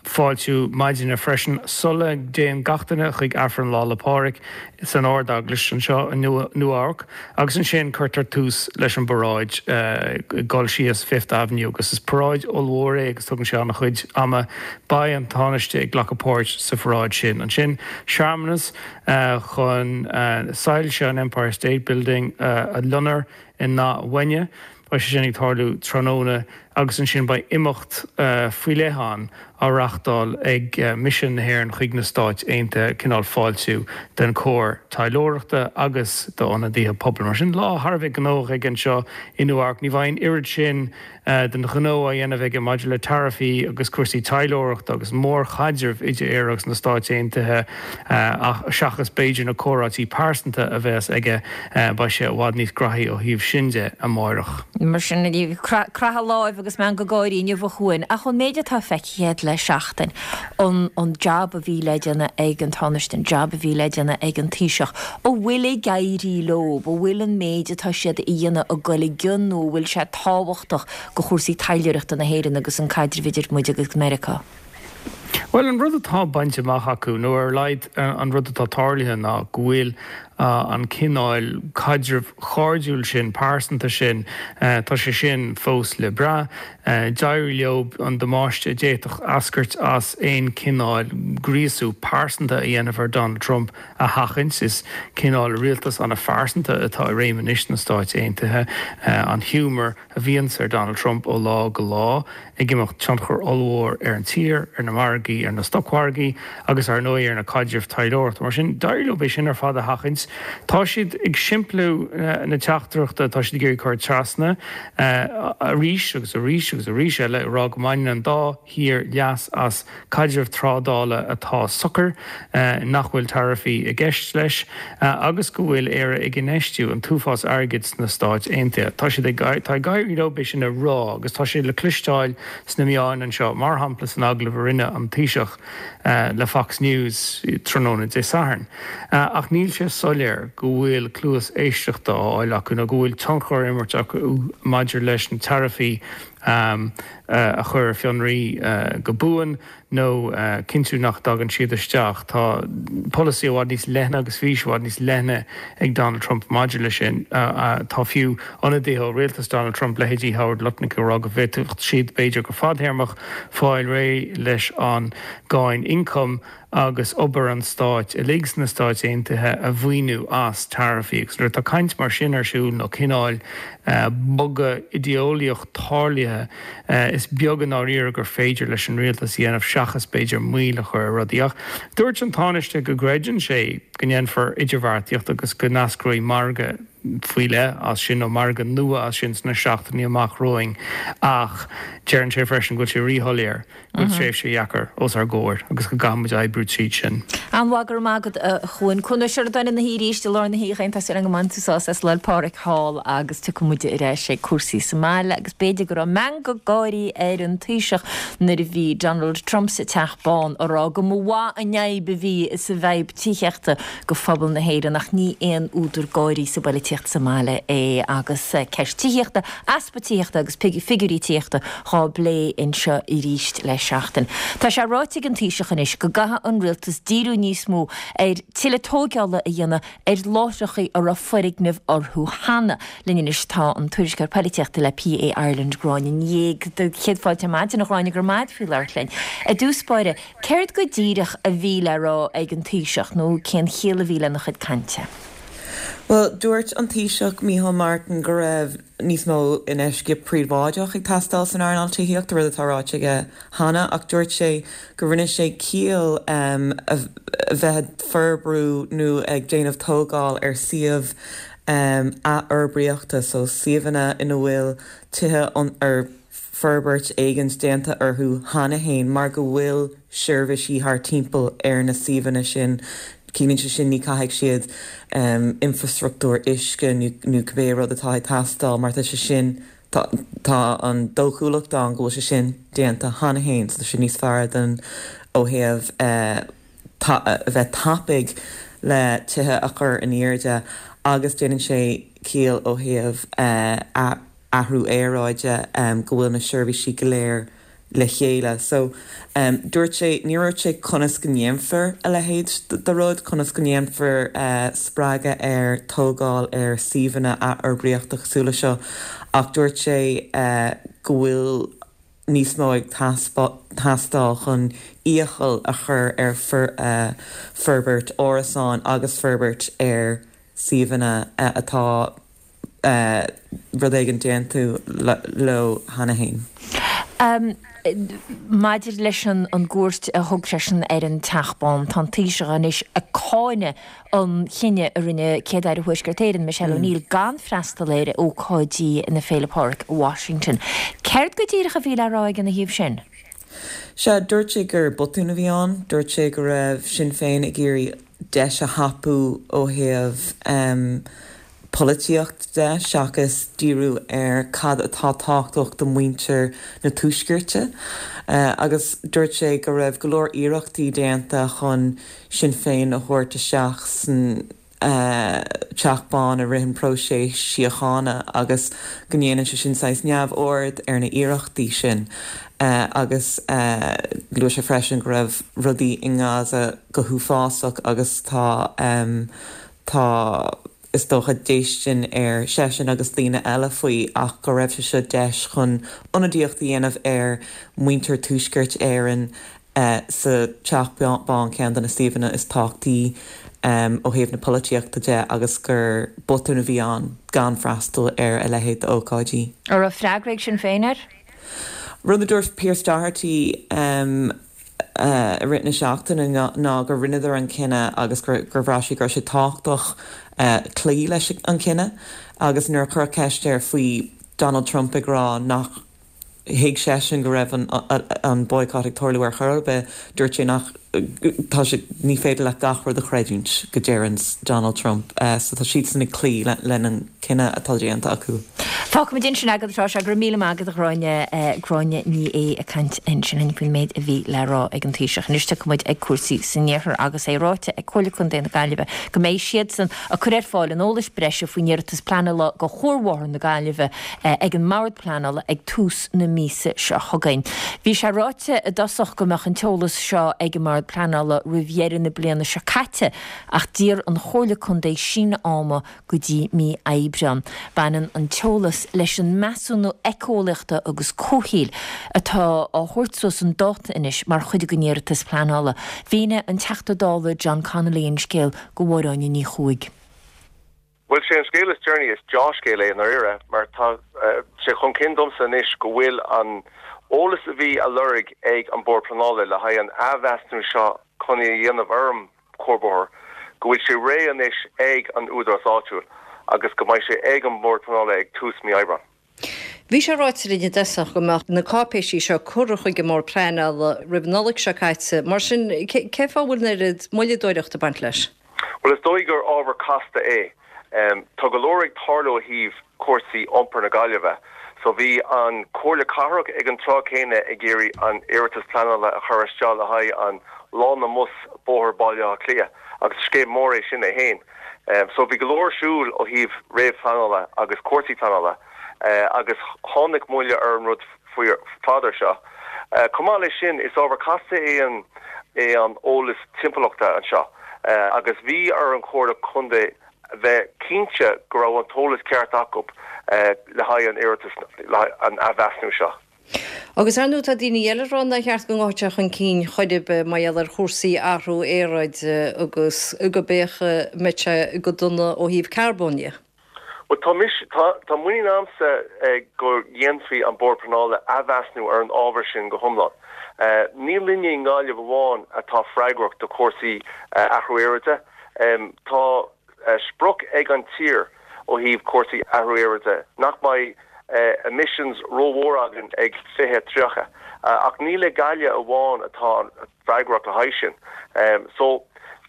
fáiltiú maidine freisin sula dtéann gach duine chuig Aifreann Lá 'le Pádraig san Ard-Eaglais anseo i Nua Eabhrac agus ansin cuirtear tús leis an bparáid ag dul síos Fifth Avenue agus is paráid ollmhór é agus tugann sé an-chuid ama. Beidh an Tánaiste ag glacadh páirt sa pharáid sin. Ansin searmanas chun soilse an Empire State Building a lonradh i ndath uaine. Beidh sé sin ag tarlú tráthnóna agus ansin beidh imeacht faoi leith ann á reáchtáil ag Misean na hÉireann chuig na Stáit Aontaithe, cineál fáiltiú den chór taidhleoireachta agus d'ionadaithe pobail. Mar sin, lá thar a bheith gnóthach aige anseo i Nua-Eabhrac. Ní bheidh an oiread sin den ghnó á dhéanamh aige maidir le taraifí agus cúrsaí taidhleoireachta agus mórchaidreamh idir Éire agus na Stáit Aontaithe ach seachas b'fhéidir na comhráití pearsanta a bheas aige, beidh sé i bhfad níos graithí ó thaobh sin de amáireach. Mar sin, croitheadh láimh agus meangadh gáirí inniu a Chuain, ach ón méid atá feicthe agat le seachtain, an an jab a bhí le déanamh ag an Tánaiste, an jab a bhí le déanamh ag an Taoiseach, an bhfuil ag éirí leo, an bhfuil an méid atá siad a dhéanamh ag goil i gcion nó an bhfuil sé tábhachtach do chúrsaí taidhleoireachta na hÉireann agus an caidreamh idir muid agus Meiriceá? Bhuel, an rud atá bainte amach acu, nó ar a laghad an rud atá tarlaithe ná go bhfuil an cineál caidrimh chairdiúil sin, pearsanta sin, tá sé sin fós le brath. D'éirigh leo an damáiste a d'fhéadfadh eascairt as aon chineál gríosú pearsanta a dhéanamh ar Donald Trump a sheachaint. Is cineál rialtas an-phearsanta atá i réim anois sna Stáit Aontaithe. An ghiúmar a bhíonns ar Donald Trump ó lá go lá ag imirt tionchar ollmhór ar an tír, ar na margaí, ar na stocmhargaí agus ar ndóigh ar na caidrimh taidhleoireachta. Mar sin, d'éirigh leo é sin ar fad a sheachaint. Tá siad ag simpliú na teachtaireachta atá siad ag iarraidh cur trasna arís agus arís agus arís eile, ag rá go mbaineann an dá thír leas as caidreamh trádála atá socair, nach bhfuil taraifí i gceist leis agus go bhfuil Éire ag infheistiú an t-uafás airgid sna Stáit Aontaithe. Tá siad ag tá ag éirí leo é sin a rá agus tá sé le cloisteáil sna meáin anseo, mar shampla san agallamh a rinne an Taoiseach le Fox News tráthnóna Dé Sathairn. Ach níl sé soiléir go bhfuil cluas éisteachta á fháil acu nó go bhfuil tionchar á imirt acu maidir leis na taraifí a chur ar fionraí go buan nó cinntiú nach dtagann siad isteach. Tá polasaí i bhfad níos leithne agus fís i bhfad níos leithne ag Donald Trump maidir leis sin. Tá fiú ionadaithe ó rialtas Donald Trump, leithéidí Howard Lutnick, ag rá go bhféadfadh siad, b'fhéidir go fadtéarmach, fáil réidh leis an gcáin ioncaim agus obair an stáit uilig sna Stáit Aontaithe a mhaoiniú as taraifí. Agus nuair atá caint mar sin ar siúl nó cineál bogadh idéeolaíoch tarlaithe, is beag i ndáiríre gur féidir leis an rialtas a dhéanamh seachas b'fhéidir moill a chur ar rudaí. Ach dúirt an Tánaiste go gcreideann sé go ndéanfar idirbheartaíocht agus go n-eascróidh margadh faoi leith as sin nó margadh nua as sin sna seachtainí amach romhainn ach deireann sé freisin go bhfuil sé ríshoiléir go bhfuil tréimhse dheacair os ár gcomhair agus go gcaithfidh muid oibriú tríd sin. An-mhaith, go raibh maith agat a Chuain. Cuan Ó Seireadáin ina shuí arís i lár na hoíche, tá súil agam go mbainfidh tú sásamh as Lá 'le Pádraig thall agus tiocfaidh muid ar ais ag cúrsaí sa mbaile agus b'fhéidir go raibh meangadh gáirí ar an Taoiseach nuair a bhí Donald Trump sa Teach Bán a rá go mba mhaith an fhadhb a bhí sa bhfadhb tithíochta go phobal na hÉireann ach ní aon údar gáirí sa bpolaitíocht sa mbaile é agus ceist tithíochta, easpa tithíochta agus figiúirí tithíochta dhá bplé anseo arís le seachtain. Tá sé ráite ag an Taoiseach anois go gcaithfidh an rialtas díriú níos mó ar tuilleadh tóigeála a dhéanamh ar láithreacha a raibh foirgnimh orthu cheana. Linn anois tá an tuairisceoir polaitíochta le PA Ireland, Gráinne Ní Aodha. Céad fáilte ar maidin, a Ghráinne, go raibh maith agat faoi labhairt linn. I dtús báire, céard go díreach a bhí le rá ag an Taoiseach nó cén chiall a bhí lena chuid cainte? Bhuel, dúirt an Taoiseach Micheál Martin go raibh níos mó infheistíocht príobháideach ag teastáil san earnáil tithíochta, rud atá ráite aige cheana, ach dúirt sé go rinne sé ciall a bheith ag forbrú nó ag déanamh tógáil ar suíomh athfhorbraíochta, so suíomhanna ina bhfuil tithe ar forbairt éigint déanta orthu cheana féin mar go bhfuil seirbhísí thart timpeall ar na suíomhanna sin. Ciallaíonn sé sin ní caithfidh siad infreastruchtúr uisce nó cibé rud atá ag teastáil mar tá sé sin, tá an dóchúlacht ann go bhfuil sé sin déanta cheana féin so tá sé níos fearr don ó thaobh a bheith tapaidh le tithe a chur in airde agus déanann sé ciall ó thaobh athrú aeráide go bhfuil na seirbhísí go léir le chéile. So, dúirt sé, níor dhúirt sé conas go ndéanfar a leithéid de rud, conas go ndéanfar spreagadh ar tógáil ar suíomhanna athfhorbraíochta cosúil le seo ach dúirt sé go bhfuil níos mó ag teastáil chun iachall a chur ar forbairt árasán agus forbairt ar suíomhanna atá rud éigin déanta leo cheana féin. Maidir leis an gcuairt a thug seisean ar an Teach Bán, tá an Taoiseach anois ag cáineadh an chinneadh a rinne Céad-Aire Thuaisceart Éireann, Michelle O'Neill, gan freastal ar ócáidí na Féile Pádraig i Washington. Céard go díreach a bhí le rá aige ina thaobh sin? Sea, dúirt sé gur botún a bhí ann. Dúirt sé go raibh Sinn Féin ag iarraidh deis a thapú ó thaobh polaitíocht de seachas díriú ar cad atá tábhachtach do mhuintir na Tuaiscirte. Agus dúirt sé go raibh go leor iarrachtaí déanta chun Sinn Féin a thabhairt isteach san Teach Bán i rith an próiseas síochána agus go ndéanann sé sin saghas neamhaird ar na hiarrachtaí sin. Agus luaigh sé freisin go raibh rudaí i nGaza go huafásach agus tá tá is dócha déistin ar seisean agus daoine eile faoi ach go raibh sé seo deis chun ionadaíocht a dhéanamh ar mhuintir Tuaisceart Éireann sa Teach Bán, ceann de na suíomhanna is tábhachtaí ó thaobh na polaitíochta de agus gur botún a bhí ann gan freastal ar a leithéid d'ócáidí. An raibh freagra ag Sinn Féin air? Rud a dúirt Pearse Doherty i rith na seachtaine ná gur rinneadar an cinneadh agus gur bhraith sé go raibh sé tábhachtach cloí leis an cinneadh agus nuair a cuireadh ceist air faoi Donald Trump ag rá nach thuig seisean go raibh an boycott ag tarlú ar chor ar bith, dúirt sé nach tá sé ní féidir leat gach rud a chreidiúint go deireann Donald Trump. So tá siadsan ag cloí lena an cinneadh atá déanta acu. Fágfaimid ansin agat atá sé, go raibh míle maith agat a Ghráinne, Gráinne Ní Aodha ag caint ansin faoin méid a bhí le rá ag an Taoiseach. Anois tiocfaidh muid ag cúrsaí san iarthar agus é ráite ag Comhairle Contae na Gaillimhe go mbeidh siadsan ag cur ar fáil an eolais breise faoin iarratas pleanála go Chuarbhóthar na Gaillimhe ag an mBord Pleanála ag tús na míosa seo chugainn. Bhí sé ráite i dtosach go mbeadh an t-eolas seo ag an mBord Pleanála roimh dheireadh na bliana seo caite ach d'iarr an Chomhairle Contae síneadh ama go dtí mí Aibreáin. Baineann an t-eolas leis an measúnú éiceolaíochta agus comhshaoil atá á thabhairt suas chun dáta anois mar chuid den iarratas pleanála. Mhínigh an Teachta Dála John Connolly an scéal go Máire Áine Ní Chuaig. Bhuel, sé an scéal is deireanaí, is deá-scéal é i ndáiríre, mar tá sé chun cinn domsa anois go bhfuil an eolas a bhí á lorg ag an Bord Pleanála le haghaidh an athmheasúnú seo chun é a dhéanamh ar an chuarbhóthar, go bhfuil sé réidh anois ag an údarás áitiúil agus go mbeidh sé ag an mBord Pleanála ag tús mí Aibreáin. Bhí sé ráite linn i dtosach go mbeadh na cáipéisí seo curtha chuig an mBord Pleanála roimh an Nollaig seo caite. Mar sin, cén fáth a bhfuil an oiread moilleadóireachta ag baint leis? Bhuel, is dóigh gur ábhar casta é. Tá go leor ag tarlú ó thaobh cúrsaí iompair na Gaillimhe. So bhí an Comhairle Cathrach ag an tráth céanna ag iarraidh an iarratas pleanála a chur isteach le haghaidh an lána mbus Bóthar Baile Átha Cliath agus scéim mór é sin é féin. So bhí go leor ar siúl ó thaobh réamhphleanála agus cúrsaí pleanála. agus tháinig moill ar an rud fada seo. Chomh maith leis sin, is ábhar casta é an é an eolas timpeallachta anseo agus bhí ar an Chomhairle Contae bheith cinnte go raibh an t-eolas ceart acu le haghaidh an iarratas le haghaidh an athmheasúnú seo. Agus ar ndóigh tá daoine eile ag rá nár cheart go ngabhfadh sé chun cinn chor ar bith mar gheall ar chúrsaí athrú aeráide agus go b'fhéidir go mbeadh sé go dona ó thaobh carbóin dhe. Bhuel, tá mise, tá, tá muinín a'msa go dhéanfaidh an Bord Pleanála athmheasnú ar an ábhar sin go hiomlán. Ní linne i nGaillimh amháin atá freagrach do chúrsaí athrú aeráide. Tá sprioc ag an tír ó thaobh cúrsaí athrú aeráide nach mbeidh emissions rómhór againn ag fiche tríocha. Ach ní le Gaillimh amháin atá freagrach le haghaidh sin. So,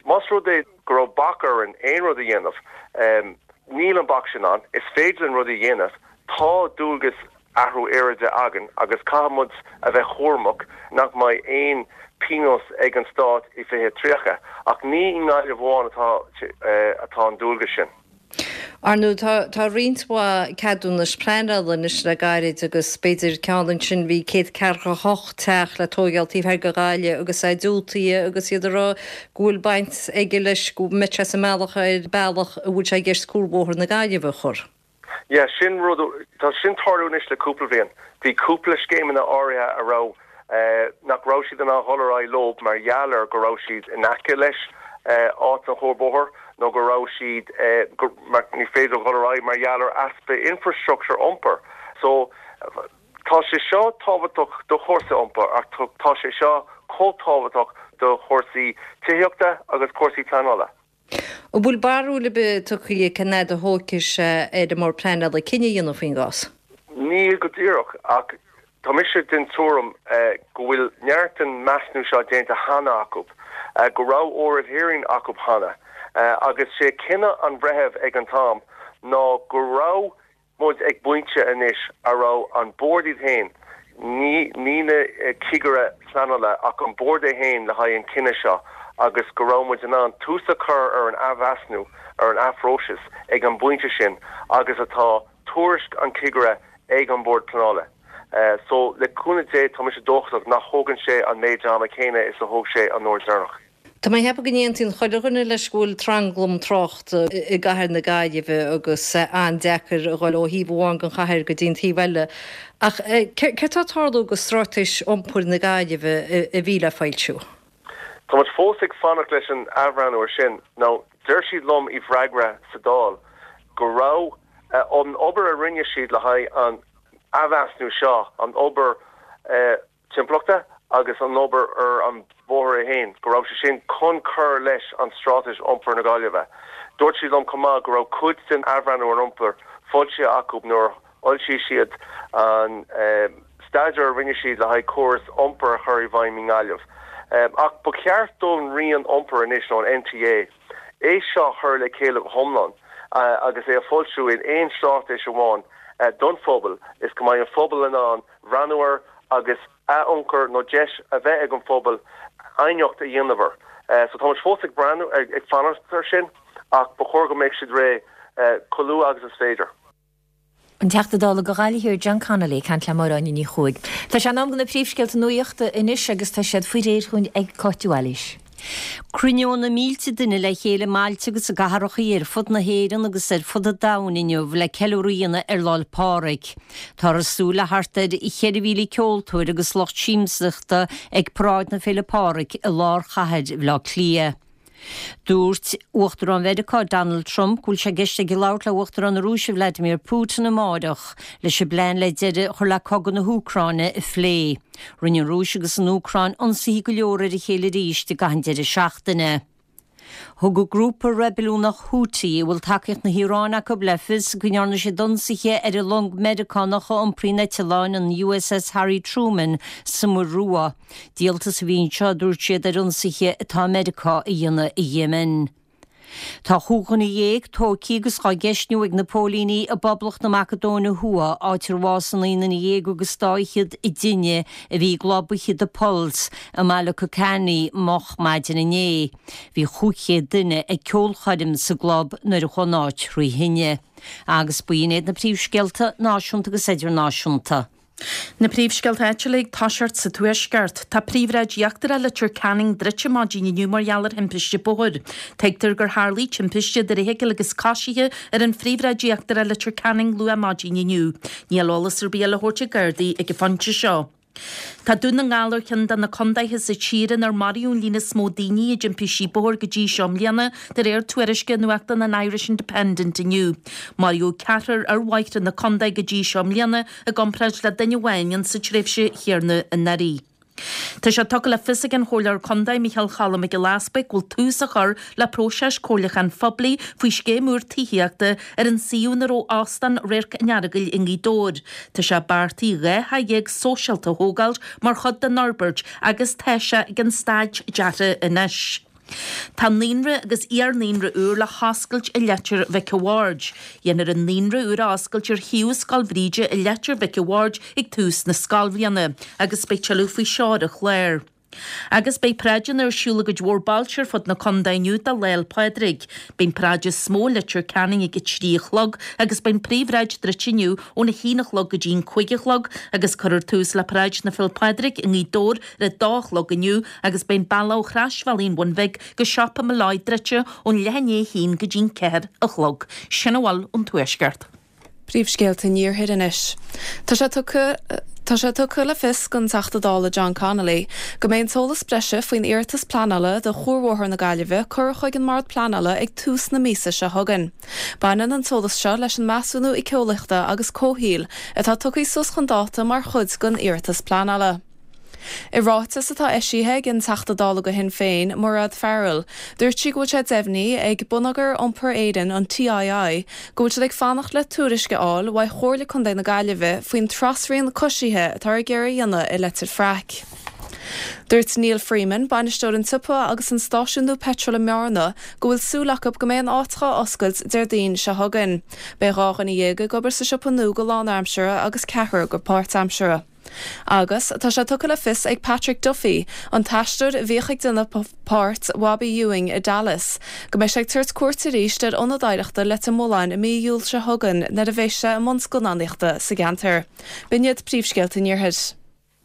más rud é go raibh bac orainn aon rud a dhéanamh, Níl an bac sin ann. Is féidir linn rudaí a dhéanamh. Tá dualgas athrú aeráide againn agus caithfidh muid a bheith cúramach nach mbeidh aon pionós ag an stát i fiche tríocha. Ach ní i nGaillimh amháin atá atá an dualgas sin. Ar ndóigh, tá tá roinnt mhaith ceadúnais pleanála anois le gairid agus b'fhéidir ceann ansin, bhí céad ceathracha a hocht teach le tóigeáil taobh thoir de Ghaillimh agus é diúltaithe agus iad ag rá go bhfuil baint aige leis go mbeadh sé sa mbealach ar bealach a bhfuil sé i gceist cuarbhóthar na Gaillimhe a chur. Yeah, sin rud, tá sin tarlú anois le cúpla bliain. Bhí cúpla scéimeanna áirithe a raibh, nach raibh siad in ann dhul ar aghaidh leo mar gheall ar go raibh siad in aice leis áit an chuarbhóthair nó go raibh siad go mar ní féidir dhul ar aghaidh mar gheall ar easpa infrastructure iompair. So tá sé seo tábhachtach do chúrsaí iompair ach tá sé seo chomh tábhachtach do chúrsaí tithíochta agus cúrsaí pleanála. An bhfuil barúil ar bith tugtha cén fhad a thógfaidh sé ar an mBord Pleanála cinneadh a dhéanamh faoin gcás? Níl go díreach ach tá mise den tuairim go bhfuil neart den measúnú seo déanta cheana acu, go raibh oral hearing acu cheana agus sé cinneadh an bhreithimh ag an t-am ná go raibh muid ag bpointe anois a raibh an bord iad féin, ní ní na cigire pleanála ach an bord é féin le haghaidh an cinneadh seo agus go raibh muid in ann tús a chur ar an athmheasúnú ar an athphróiseas ag an bpointe sin agus atá tuairisc an chigire ag an Bord Pleanála. So le cúnamh Dé tá mise dóchasach nach thógann sé an méid ama céanna is a thóg sé an uair deireanach. Tá mé ag ceapadh go n-aontaíonn chuile dhuine leis go bhfuil tranglam tráchta i gcathair na Gaillimhe agus an-deacair a dhul ó thaobh amháin den chathair go dtí an taobh eile. Ach céard atá ag tarlú go Straitéis Iompair na Gaillimhe a bhí le foilsiú? Tá muid fós ag fanacht leis an athbhreathnú ar sin. Now, deir siad liom i bhfreagra sa Dáil go raibh an obair a rinne siad le haghaidh an athmheasúnú seo, an obair timpeallachta agus an obair ar an bhóthar é féin, go raibh sé sin chun cur leis an Straitéis Iompair na Gaillimhe. Dúirt siad liom chomh maith go raibh cuid den athbhreathnú ar iompar foilsithe acu nuair a fhoilsigh siad an staidéar a rinne siad le haghaidh córas iompair a chur i bhfeidhm i nGaillimh. Ach ba cheart don Roinn Iompair anois, nó an NTA, é seo a chur le chéile go hiomlán agus é a fhoilsiú in aon straitéis amháin don phobal is go mbeidh an phobal in ann breathnú air agus a ionchur nó deis a bheith ag an phobal aighneacht a dhéanamh air. So tá muid fós ag breathnú, ag fanacht air sin ach ba chóir go mbeadh siad réidh chomh luath agus is féidir. An Teachta Dála do Ghaillimh Thiar John Connolly ag caint le Máire Áine Ní Chuaig. Tá sé in am do na príomhscéalta nuachta anois agus tá siad faoi réir chugainn ag Cáit de Bhailís. Cruinneoidh na mílte duine le chéile i mbailte agus i gcathracha ar fud na hÉireann agus ar fud an domhain inniu le ceiliúradh a dhéanamh ar Lá 'le Pádraig. Táthar ag súil le thart ar cheithre mhíle ceoltóir agus lucht siamsaíochta ag Paráid na Féile Pádraig i lár chathair Bhaile Átha Cliath. Dúirt Uachtarán Mheiriceá Donald Trump go bhfuil sé i gceist aige labhairt le Uachtarán na Rúise Vladimir Putin amáireach leis an bplean le deireadh a chur le cogadh na hÚcráine a phlé. Rinne an Rúis agus an Úcráin ionsaithe go leor ar a chéile arís i gcaitheamh an deireadh seachtaine. Thug an grúpa reibiliúnach Houthi, a bhfuil tacaíocht na hIaráine acu, le fios go ndearna siad ionsaithe ar an long Meiriceánach a iompraíonn eitleáin, an USS Harry Truman, sa Muir Rua. Díoltas a bhí anseo, a dúirt siad, ar ionsaithe atá Meiriceá a dhéanamh i Yemen. Tá chúig dhuine dhéag tógtha agus dhá gceistniú ag na póilíní i bPoblacht na Macadóine Thuaidh, áit ar bhásaigh naoi nduine dhéag agus dá fhichead i dtine a bhí i gclub oíche The Pulse i mbaile Kocani moch maidin inné. Bhí chúig chéad duine ag ceolchoirm sa gclub nuair a chuaigh an áit thrí thine. Agus b'in iad na príomhscéalta náisiúnta agus idirnáisiúnta. Na príomhscéalta áitiúla ag toiseacht sa Tuaisceart. Tá príomhshráid íochtarach Leitir Ceanainn druidte maidin inniu mar gheall ar thimpiste bóthair. Tuigtear gur tharlaigh timpiste idir fheithicil agus coisithe ar an phríomhshráid íochtarach Leitir Ceanainn luath maidin inniu. Níl eolas ar bith eile á thabhairt ag Gardaí ag an phointe seo. Tá Dún na nGall ar cheann de na contaetha sa tír inar maraíodh an líon is mó daoine i dtimpistí bóthair go dtí seo i mbliana, de réir tuairisce nuachtán an Irish Independent inniu. Maraíodh ceathrar ar bhóithre na contae go dtí seo i mbliana i gcomparáid le duine amháin insa tréimhse chéanna anuraidh. Tá sé tugtha le fios ag an Chomhairleoir Contae Micheál Cholm Mac Giolla Easbuig go bhfuil tús á chur le próiseas comhairliúcháin phoiblí faoi scéim úr tithíochta ar an suíomh ina raibh Óstán Radharc an Earagail i nGaoth Dobhair. Tá sé beartaithe dhá theach dhéag sóisialta a thógáil mar chuid den fhorbairt agus tá sé ag an staid deartha anois. Tá naíonra agus iar-naíonra úr le hoscailt i Leitir Mhic a' Bhaird. Dhéanfar an naíonra úr a oscailt ar shuíomh Scoil Bhríde i Leitir Mhic a' Bhaird ag tús na scoilbhliana agus beidh tuilleadh faoi seo ar an chlár. Agus beidh paráideanna ar siúl i gcuid mhór bailte ar fud na contae inniu do Lá 'le Pádraig. Beidh an paráid is mó i Leitir Ceanainn ag a trí a chlog agus beidh an phríomhshráid druidte inniu óna haon a chlog go dtí an cúig a chlog agus cuirfear tús le paráid na Féile Pádraig i nGaoth Dobhair ar a dó a chlog inniu agus beidh an bealach ó Chrosbhealaí an Bhun Bhig go Siopa Molloy druidte ón leath i ndiaidh a haon go dtí an ceathair a chlog. Sin a bhfuil ón Tuaisceart. Príomhscéalta an Iarthair anois. Tá sé tugtha Tá sé tugtha le fios don Teachta Dála John Connolly go mbeidh an t-eolas breise faoin iarratas pleanála do Chuarbhóthar na Gaillimhe curtha chuig an mBord Pleanála ag tús na míosa seo chugainn. Baineann an t-eolas seo leis an measúnú éiceolaíochta agus comhshaoil atá tugtha suas chun dáta mar chuid den iarratas pleanála. I ráiteas atá eisithe ag an Teachta Dála do Shinn Féin, Mairéad Farrell, dúirt sí go bhfuil sé deimhnithe ag Bonneagar Iompair Éireann, an TII, go bhfuil siad ag fanacht le tuairisc a fháil uaidh Chomhairle Contae na Gaillimhe faoin trasrian coisithe atá ag iarraidh a dhéanamh i Leitir Fraic. Dúirt Neil Freeman, bainisteoir an tsiopa agus an stáisiún nua peitril i mBearna, go bhfuil súil acu go mbeidh an áit dhá oscailt Déardaoin seo chugainn. Beidh dhá dhuine dhéag ag obair sa siopa nua go lánaimseartha agus ceathrar go páirtaimseartha. Agus tá sé tugtha le fios ag Patrick Duffy, an t-aisteoir a bhíodh ag déanamh páirt Bhobby Ewing i Dallas, go mbeidh sé ag tabhairt cuairt arís ar Ionad Oidhreachta Leitir Mealláin i mí Iúil seo chugainn nuair a bheidh sé i mbun scannánaíochta sa gceantar. B'in iad príomhscéalta an Iarthair.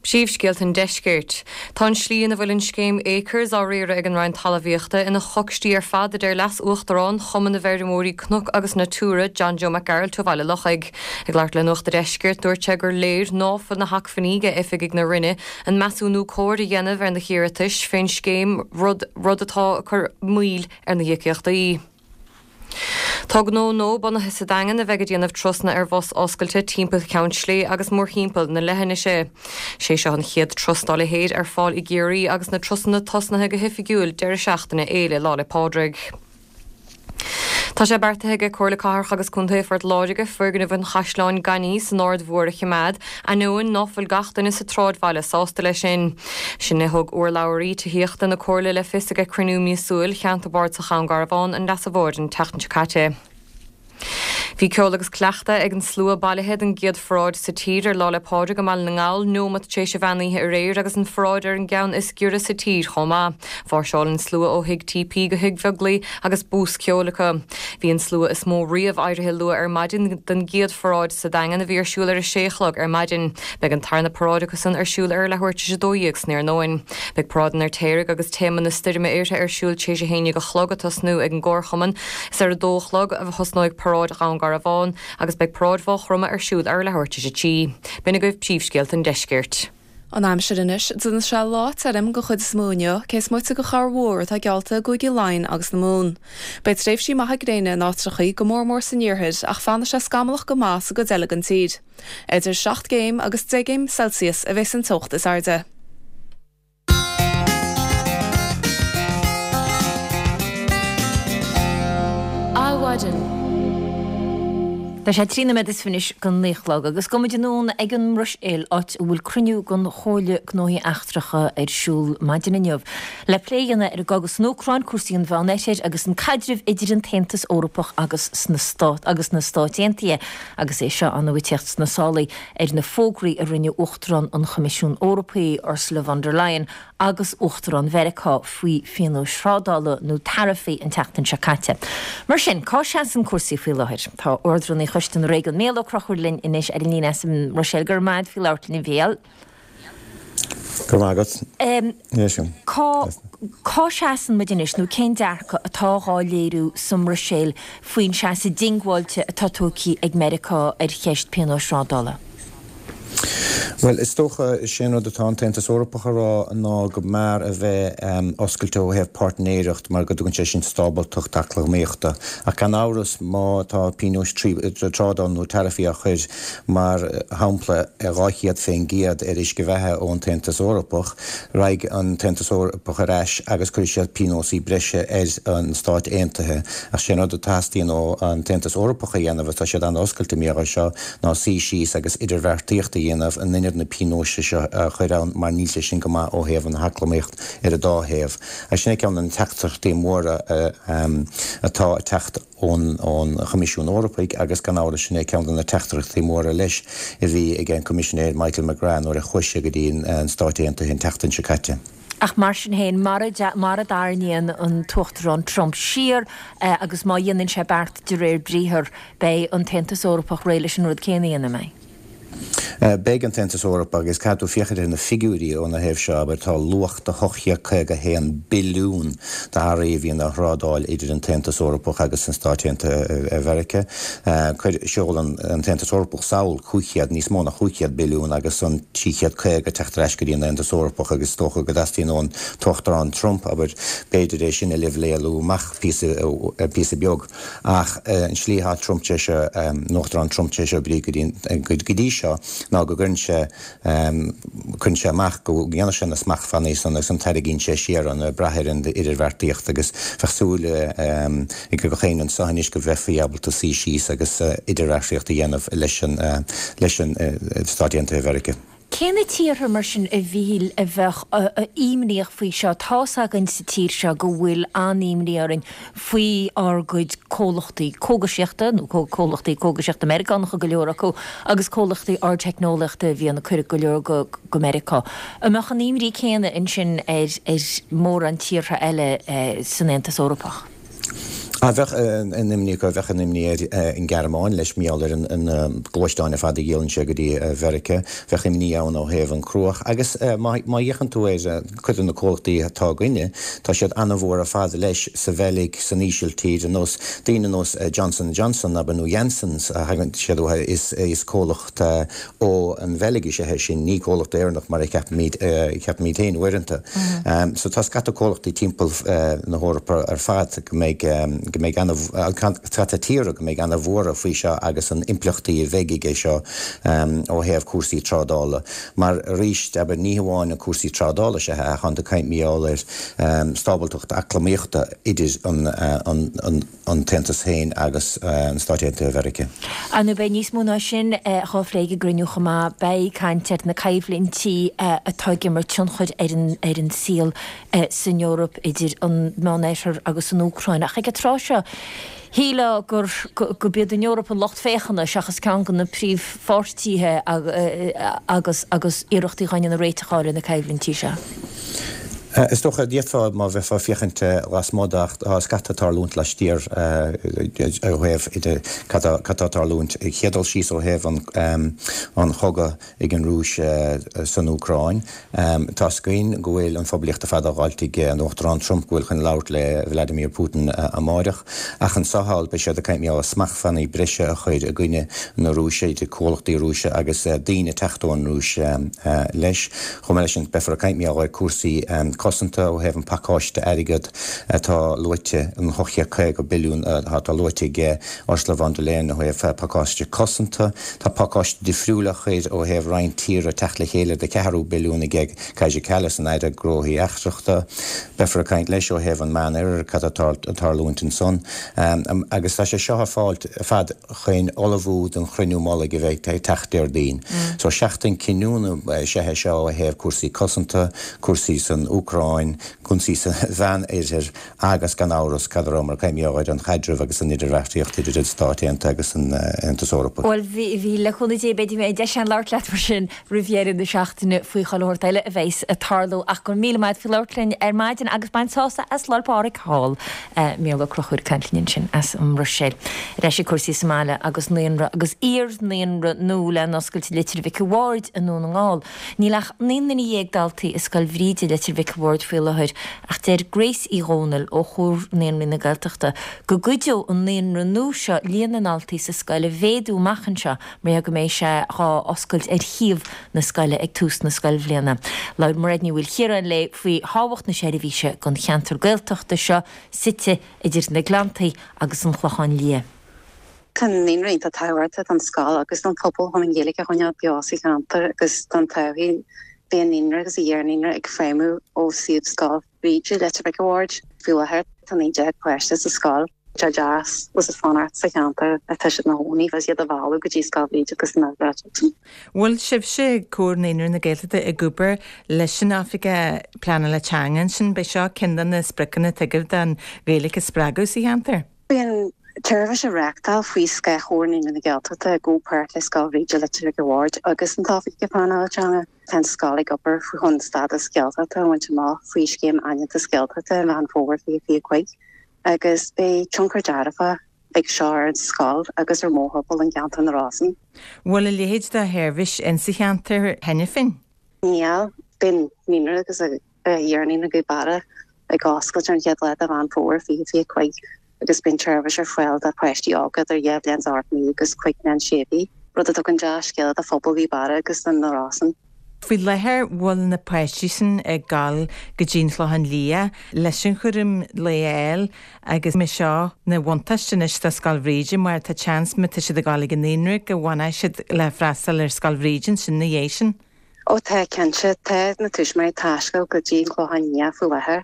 Príomhscéalta an Deiscirt. Tá an slí ina bhfuil an scéim Acres á riaradh ag an Roinn Talmhaíochta ina chocstí ar fad, a deir Leas-Uachtarán Chumann na bhFeirmeoirí Cnoc agus Natura, John Joe Mac Gearailt ó Bhaile Lochaigh. Ag labhairt le Nuacht a' Deiscirt, dúirt sé gur léir ná fuil na hacmhainní ag oifigigh na Roinne an measúnú cóir a dhéanamh ar na hiarratais fén scéim, rud rud atá ag cur moill ar na híocaíochtaí. Tá gnó nua bunaithe sa Daingean a bheidh ag déanamh turasanna ar bhus oscailte timpeall Cheann Slé agus mórthimpeall na leithinise. Sé seo an chéad turas dá leithéid ar fáil i gCiarraí agus na turasanna tosnaithe go hoifigiúil deireadh seachtaine Fhéile Lá 'le Pádraig. Tá sé beartaithe ag Comhairle Cathrach agus Contae Phort Láirge foirgneamh an Chaisleáin Gainimh san Aird Mhór a choimeád, ainneoin ná fuil gach duine sa tsráidbhaile sásta leis sin. Sin a thug urlabhraí tithíochta na Comhairle le fios ag cruinniú míosúil Cheantar Boird sa Cham Garbhán an Leasa Mhóir an tseachtain seo caite. Bhí ceol agus cleachtadh ag an slua bailithe don gcéad pharáid sa tír ar Lá 'le Pádraig i mBaile na nGall neomat tar éis an mheán oíche aréir agus an pharáid ar an gceann is giorra sa tír chomh maith. Mháirseáil an slua ó Thigh TP go Thigh Bheaglaoich agus bús ceoil acu. Bhí an slua is mó riamh éirithe luath ar maidin don gcéad pharáid sa Daingean a bhí ar siúl ar a sé a chlog ar maidin. Beidh an tarna paráid acusan ar siúl ar leathuair tar éis a dó dhéag san iarnóin. Beidh paráid an Fheirtéaraigh agus téama na stoirme uirthi ar siúl tar éis a haon déag a chlog ag tosnú ag an gComharchumann. Is ar a dó a chlog a thosnóidh paráid Dhún Garbhán agus beidh paráid Mhaigh Chromtha ar siúl ar leathuair tar éis a trí. B'in agaibh príomhscéalta an deiscirt. An aimsir anois, déanfaidh sé lá tirim den chuid is mó inniu, cé is moite de chorrmhúr atá geallta i gCúigí Laighean agus na Mumhan. Beidh tréimhsí maithe gréine in áiteachaí, go mór mór san iarthar, ach fanfaidh sé scamallach go maith sa gcuid eile den tír. Idir seacht gcéim agus deich gcéim Celsius a bheas an teocht is airde. Adhmhaidin. Tá sé trí nóiméad is fiche anois don naoi a chlog agus gabhfaidh muid anonn ag an mBruiséil áit a bhfuil cruinniú den Chomhairle Gnóthaí Eachtracha ar siúl maidin inniu le plé a dhéanamh ar an gcogadh san Úcráin, cúrsaí an Mheánoirthir agus an caidreamh idir an tAontas Eorpach agus na Stát agus na Stáit Aontaithe agus é seo ar ndóigh ag teacht sna sála ar na fógraí a rinne Uachtarán an Choimisiúin Eorpaigh, Ursula von der Leyen, agus Uachtarán Mheiriceá faoi phionóis thrádála nó taraifí an tseachtain seo caite. Mar sin, cá seasann cúrsaí faoi láthair? Tá Ard-Rúnaí Choiste na Réigiún, Mícheál Ó Conchúir linn anois ar an líne as an mBruiséil. Go raibh maith agat faoi labhairt linn, a Mhícheáil. Go raibh maith agat. Cá cá seasann muid anois nó cén dearcadh atá dhá léiriú sa mBruiséil faoin seasamh diongbháilte atá tógtha ag Meiriceá ar cheist pionóis thrádála? Bhuel, is dócha, is é an rud atá an tAontas Eorpach a rá ná go mb'fhearr a bheith oscailte ó thaobh páirtnéireacht mar go dtugann sé sin stábaltacht eacnamaíochta. Ach gan amhras, má tá pionóis trádála nó taraifí á chur, mar shampla, dhá chéad fén gcéad ar uisce beatha ón tAontas Eorpach, raghaidh an tAontas Eorpach ar ais agus cuirfidh siad pionósaí breise ar na Stáit Aontaithe. Ach sé an rud a theastaíonn ó an tAontas Eorpach a dhéanamh, agus tá siad an-oscailte mar gheall air seo, ná suí síos agus idirbheartaíocht a dhéanamh in ionad na pionóis seo a chur ann mar níl sé sin go maith ó thaobh an eacnamaíocht ar an dá thaobh. Agus sin é ceann de na teachtaireachtaí móra atá ag teacht ón Choimisiún Eorpaigh agus gan amhras sin é ceann de na teachtaireachtaí móra leis a bhí ag an Coimisinéir Michael McGrath nuair a chuaigh sé go dtí an Stáit Aontaithe an tseachtain seo caite. Ach mar sin féin, mara dtarraingíonn an tUachtarán Trump siar agus má dhéanann sé beart de réir briathar, beidh an tAontas Eorpach réidh leis an rud céanna a dhéanamh, an mbeidh? Beidh an tAontas Eorpach agus caithfidh tú féachaint ar na figiúirí óna thaobh seo, abair, tá luach de hocht chéad caoga a haon billiún d'earraí a bhíonn á thrádáil idir an tAontas Eorpach agus an Stáit Aontaithe Mheiriceá. Cuir, seolann an tAontas Eorpach sall cúig chéad, níos mó ná chúig chéad billiún agus an trí chéad caoga ag teacht ar ais go dtí an Aontas Eorpach agus is dócha go dteastaíonn ón tUachtarán Trump, abair, b'fhéidir é sin a leibhéalú amach píosa, píosa beag. Ach an slí atá Trump tar éis, an Uachtarán Trump tar éis oibriú go dtí seo ná go gcuireann sé, cuireann sé amach go ndéanfaidh sé na smachtbhannaí san agus an tarraingíonn sé siar an ag brath ar an idirbheartaíocht agus bheadh súil ag gach éinne anseo anois go mbeifí ábalta suí síos agus idirbheartaíocht a dhéanamh leis an leis an Stáit Aontaithe Mheiriceá. Cé na tíortha mar sin a Mhíchíl a bheadh imníoch faoi seo? Tá's againn sa tír seo go bhfuil an-imní orainn faoi ár gcuid comhlachtaí cógaisíochta, nó comhlachtaí cógaisíochta Meiriceánacha go leor acu, agus comhlachtaí ardteicneolaíochta a bhíonn ag cur go leor go go Meiriceá. An mbeadh an imní céanna ansin ar ar mórán tíortha eile san Aontas Eorpach? Ah, bheadh an imní acu, bheadh an imní ar an Ghearmáin leis, mar gheall ar na gluaisteáin ar fad a dhíolann sé go dtí Mheiriceá. Bheadh imní ann ó thaobh an cruach agus má fhéachann tú ar cuid de na comhlachtaí atá againne, tá siad an-mhór ar fad leis sa Bheilg, san Ísiltír, ar nós daoine ar nós Johnson and Johnson, abair, nó Janssens a thagann siad uathu, is comhlacht ó an Bheilg is ea é sin, ní comhlacht Éireannach mar a cheapaimid, cheapaimid féin uaireanta. So tá scata comhlachtaí timpeall na hEorpa ar fad go mbeidh, go mbeidh ana, scata tíortha go mbeidh ana-bhuartha faoi seo agus an impleachtaí a bheidh aige seo ó thaobh cúrsaí trádála. Mar arís, abair, ní hamháin na cúrsaí trádála is ea ach tá tú ag caint mar gheall ar stábaltacht eacnamaíochta idir an, an, an, an tAontas féin agus an Stáit Aontaithe Mheiriceá. Ar ndóigh beidh níos mó ná sin dhá phlé ag an gcruinniú chomh maith. Beidh caint ar na coimhlintí atá ag imirt tionchair ar an ar an saol san Eoraip idir an Meánoirthear agus an Úcráin. Ach ag an tráth seo, shílfeá gur gurb iad an Eoraip an lucht féachana seachas ceann de na príomhpháirtithe agus agus iarrachtaí á ndéanamh réiteach a fháil ar na coimhlintí seo. Is dócha, d'fhéadfá, má bheifeá ag féachaint lasmuigh de, ach tá scata ag tarlúint laistiar ó thaobh idir cad tá ag tarlúint. Chéad dul síos ó thaobh an chogadh ag an Rúis san Úcráin. Tá's againn go bhfuil an phoiblíocht ar fad á dh'fháilt ag an Uachtarán Trump go bhfuil chun labhairt le Vladimir Putin amáireach. Ach anso thall beidh siad ag caint mar gheall ar smachtbhannaí breise a chur i gcoinne na Rúise, idir comhlachtaí Rúise agus daoine ag teacht ón Rúis leis. Chomh maith leis sin beifear ag caint mar gheall ar cúrsaí cosanta ó thaobh an pacáiste airgead atá luaite, an ocht chéad caoga billiún atá luaite ag Ursula von der Leyen ó thaobh pacáiste cosanta. Tá pacáiste difriúil á chur ó thaobh roinnt tíortha teacht le chéile de ceathrú billiún ag Kaja Kallas, an Aire Gnóthaí Eachtracha. Beifear ag caint leis ó thaobh an Meánoirthear, cad atá ag tarlúint ansan. Agus tá sé seo ar fad chun ullmhú don chruinniú mullaigh a bheidh ag teacht Déardaoin. So seachtain cinniúna is ea é seo ó thaobh cúrsaí cosanta, cúrsaí san Úcráin, cúrsaí sa Mheánoirthear agus gan amhras cad a rabhamar ag caint mar gheall ar an chaidreamh agus an idirbheartaíocht idir an Stáit Aontaithe agus an Aontas Eorpach. Bhuel, bhí, le cúnamh Dé, beidh mé deis agam labhairt leat mar sin roimh dheireadh na seachtaine faoi chuile shórt eile a bheas ag tarlú ach go raibh míle maith agat faoi labhairt linn ar maidin agus bain sásamh as Lá 'le Pádraig thall. Mícheál Ó Conchúir ag caint linn ansin as an mBruiséil. Ar ais ag cúrsaí sa mbaile agus naíonra agus iar-naíonra nua le n-oscailt i Leitir Mhic a' Bhaird i nDún na nGall. Níl ach naoi nduine dhéag daltaí i Scoil Bhríde Leitir Mhic a' Bhaird faoi láthair ach deir Grace Uí Dhónaill ó Chomhar Naíonraí na Gaeltachta go gcuideoidh an naíonra nua seo líon na ndaltaí sa scoil a mhéadú amach anseo mar go mbeidh sé dhá oscailt ar shuíomh na scoile ag tús na scoilbhliana. Labhair Mairéad Ní Mhaoilchiaráin léi faoi thábhacht na seirbhíse don cheantar Gaeltachta seo suite idir na Gleanntaí agus an Chlochán Liath. Tá an naíonra iontach tábhachtach don scoil agus don phobal chun an Ghaeilge a choinneáil beo sa cheantar agus don todhchaí. Bhí an naíonra agus an iar-naíonra ag feidhmiú ó suíomh Scoil Bhríde, Leitir Mhic a' Bhaird. Faoi láthair tá naoi déag páiste sa scoil. Tá sé deas agus fanacht sa cheantar atá siad ina gcónaí agus iad a mhealladh go dtí Scoil Bhríde agus na Gaeltachta. Bhfuil sibhse, Comhar Naíonraí na Gaeltachta, ag obair leis an Oifigeach Pleanála Teanga ansin? B'é seo ceann de na spriocanna atá agaibh don Ghaeilge a spreagadh sa cheantar? Bíonn an tseirbhís á reáchtáil faoi scáth Chomhar Naíonraí na Gaeltachta i gcomhpháirt le Scoil Bhríde Leitir Mhic a' Bhaird agus an tOifigeach Pleanála Teanga. Tá an scoil ag obair faoi chun stádas Gaeltachta a bhaint amach faoi Scéim Aitheantas Gaeltachta i Meán Fómhair fiche fiche cúig agus beidh tionchar dearfach ag seo ar an scoil agus ar mhórthimpeall an cheantar na Rosann. Bhfuil a leithéid de sheirbhís insa cheantar cheana féin? Níl. Bíonn naíonra agus iar-naíonra Ghaoth Beara ag oscailt ar an chéad lá de Mheán Fómhair fiche fiche cúig agus bíonn seirbhís ar fáil do pháistí óga idir dhá bhliain is ocht mí agus cúig bliana sé mhí, rud a tugann dea-scéala do phobal Ghaoth Beara agus do na Rosann. Faoi láthair bhfuil na páistí sin ag gabháil go dtí an Chlochán Liath leis an chúram lae a fháil agus mbeidh seo ina bhuntáiste anois do Scoil Bhríde mar tá seans má tá siad ag gabháil ag an naíonra go bhfanfaidh siad le freastal ar Scoil Bhríde ansin ina dhiaidh sin. Ó tá, cinnte. Tá na tuismitheoirí ag taisteal go dtí an Chlochán Liath faoi láthair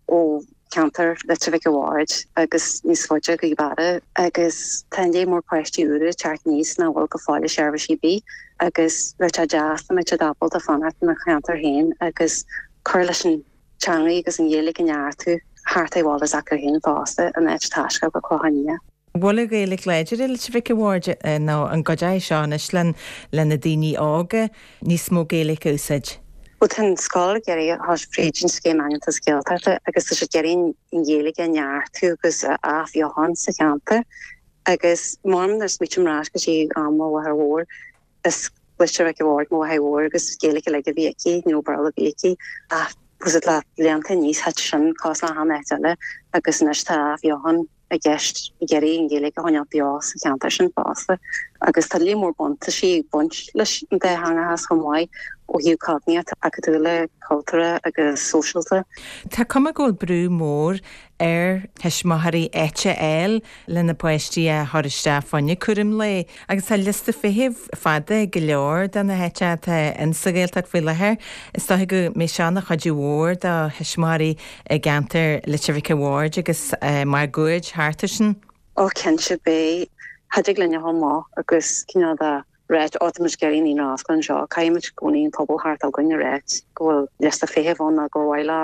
ó cheantar Leitir Mhic a' Bhaird agus níos faide Gaoth Beara agus tá an léar mór páistí úra ag teacht aníos nach bhfuil go fóill i seirbhísí ar bith agus bheadh sé deas dá mbeadh siad ábalta fanacht ina cheantar féin agus cur leis an teangaidh agus an Ghaeilge a neartú thart ar bhaile s'acu féin fosta in áit taisteal go Clochán Liath. Bhfuil an Ghaeilge láidir i Leitir Mhic a' Bhaird nó an gcuideoidh seo anois le na daoine óga níos mó Gaeilge a úsáid? Bhuel tá an scoil ag iarraidh a thabhairt fríd an scéim Aitheantas Gaeltachta agus tá siad ag iarraidh an Ghaeilge a neartú agus a athbheochan sa cheantar agus mar nuair a smaoiním ar ais go dtí am mo mháthair mhór is Leitir Mhic a' Bhaird mo mháthair mhór agus Gaeilge uilig a bhí aici ní raibh Béarla ar bith aici ach was it le blianta aníos thit sin cosúil le achan áit eile agus anois tá athbheochan i gceist ag iarraidh an Ghaeilge a choinneáil beo sa cheantar sin fosta agus tá líon mór buntáistí ag baint leis an dátheangachas chomh maith ó thaobh cognaíochta, acadúla, cultúrtha agus sóisialta. Tá cuma go bhfuil brú mór ar thuismitheoirí áit a fháil le na páistí a chur isteach fá choinne cúram lae agus tá liosta feithimh fada go leor de na háiteacha atá in sa Ghaeltacht faoi láthair. Is dóigh go mbeidh seo ina chuidiú mhór do thuismitheoirí i gceantar Leitir Mhic a' Bhaird agus máguaird thart air sin. Ó cinnte beidh. Thig linn a dhul amach agus cineál de ráit ó tá muid ag iarraidh naíonra a oscailt anseo, caithfidh muid i gcónaí an pobal thart againn a ráit go bhfuil liosta feithimh ann nó gur mhaith leo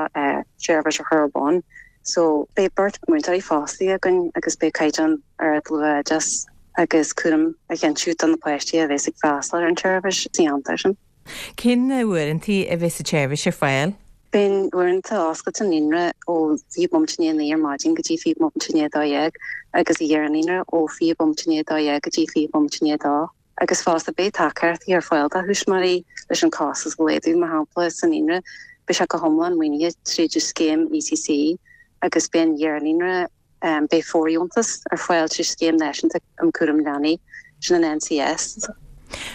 seirbhís a chur ar bun. So beidh beirt múinteoirí fostaithe againn agus beidh caighdeán ard luathoideachais agus cúram a chinntiú do na páistí a bheas ag freastal ar an tseirbhís sa cheantar sin. Cén uaireanta a bheas an tseirbhís ar fáil? Beidh uaireanta oscailte an naíonra ó fiche bomaite i ndiaidh a naoi ar maidin go dtí fiche bomaite i ndiaidh a dó dhéag agus an iar-naíonra ó fiche bomaite i ndiaidh a dó dhéag go dtí fiche bomaite i ndiaidh a dó. Agus fosta beidh tacaíochtaí ar fáil do thuismitheoirí leis an costas a laghdú, mar shampla sa naíonra beidh sé go hiomlán maoinithe tríd an scéim ECC agus beidh an iar-naíonra Beidh fóirdheontas ar fáil trí Scéim Náisiúnta um Chúram Leanaí, sin an NCS.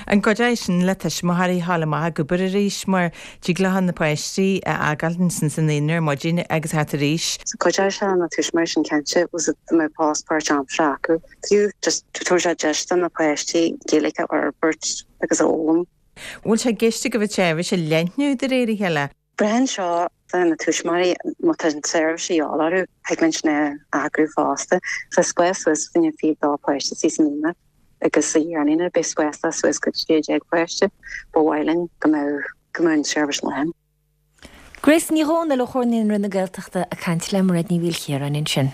An gcuideoidh sin le tuismitheoirí a ghabháil amach ag obair arís mar tig leo na páistí a fhágáil ansin sa naíonra ar maidin agus theacht arís? So cuideoidh sé na tuismitheoirí sin cinnte was it dá mbeadh post páirtaimseartha acu. Fiú just tabharfaidh sé deis do na páistí Gaeilge a fhorbairt agus a fhoghlaim. Bhfuil sé i gceist agaibh an tseirbhís a leathnú de réir a chéile? Braitheann seo do na tuismitheoirí má tá an tseirbhís de dhíobháil orthu, thig linn sin a eagrú fosta. Tá spás suas fá choinne fiche dó páiste sa naíonra agus sa iar-naíonra beidh spás le suas go sé déag páiste. Ba mhaith linn go mbeadh go mbeadh an tseirbhís lán. Grace Ní Dhomhnaill ó Chomhar Naíonraí na Gaeltachta ag caint le Mairéad Ní Mhaoilchiaráin ansin.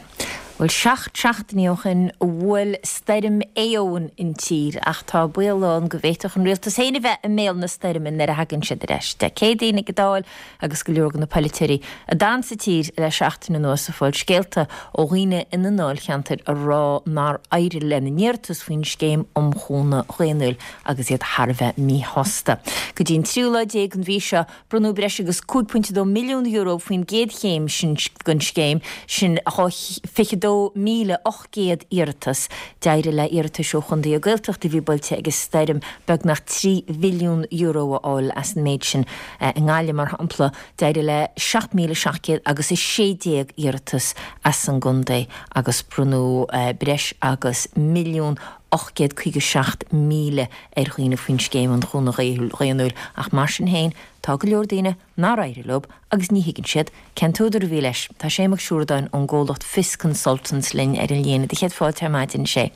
Bhuel, seacht seachtainí ó shin a bhuail stoirm Éowyn an tír ach tá baol ann go bhféadfadh an rialtas féin a bheith i mbéal na stoirme nuair a thagann siad ar ais. Dé Céadaoin ag an Dáil agus go leor de na polaiteoirí a d'fhan sa tír le seachtain anuas ag fáil scéalta ó dhaoine ina ndáilcheantair a rá nár éirigh lena n-iarratas faoin scéim um chúnamh daonnúil agus iad thar a bheith míshásta. Go dtí an tríú lá déag den mhí seo bronnadh breis agus cúig pointe dó milliún euro faoin gcéad chéim sin den scéim, sin dhá fiche dó míle ocht gcéad iarratas. D'éirigh le hiarratais ó chontaetha Gaeltachta a bhí buailte ag an stoirm beagnach trí mhilliún euro a fháil as an méid sin. I nGaillimh, mar shampla, d'éirigh le seacht míle seacht gcéad agus a sé déag iarratas as an gcontae agus bronnadh breis agus milliún ocht gcéad caoga seacht míle ar dhaoine faoin scéim um chúnamh daonnúil ach mar sin féin tá go leor daoine nár éirigh leo agus ní thuigeann siad cén t-údar a bhí leis. Tá Sé Mac Siúradáin ón gcomhlacht Fios Consultants linn ar an líne. Do chéad fáilte ar maidin, a Shé.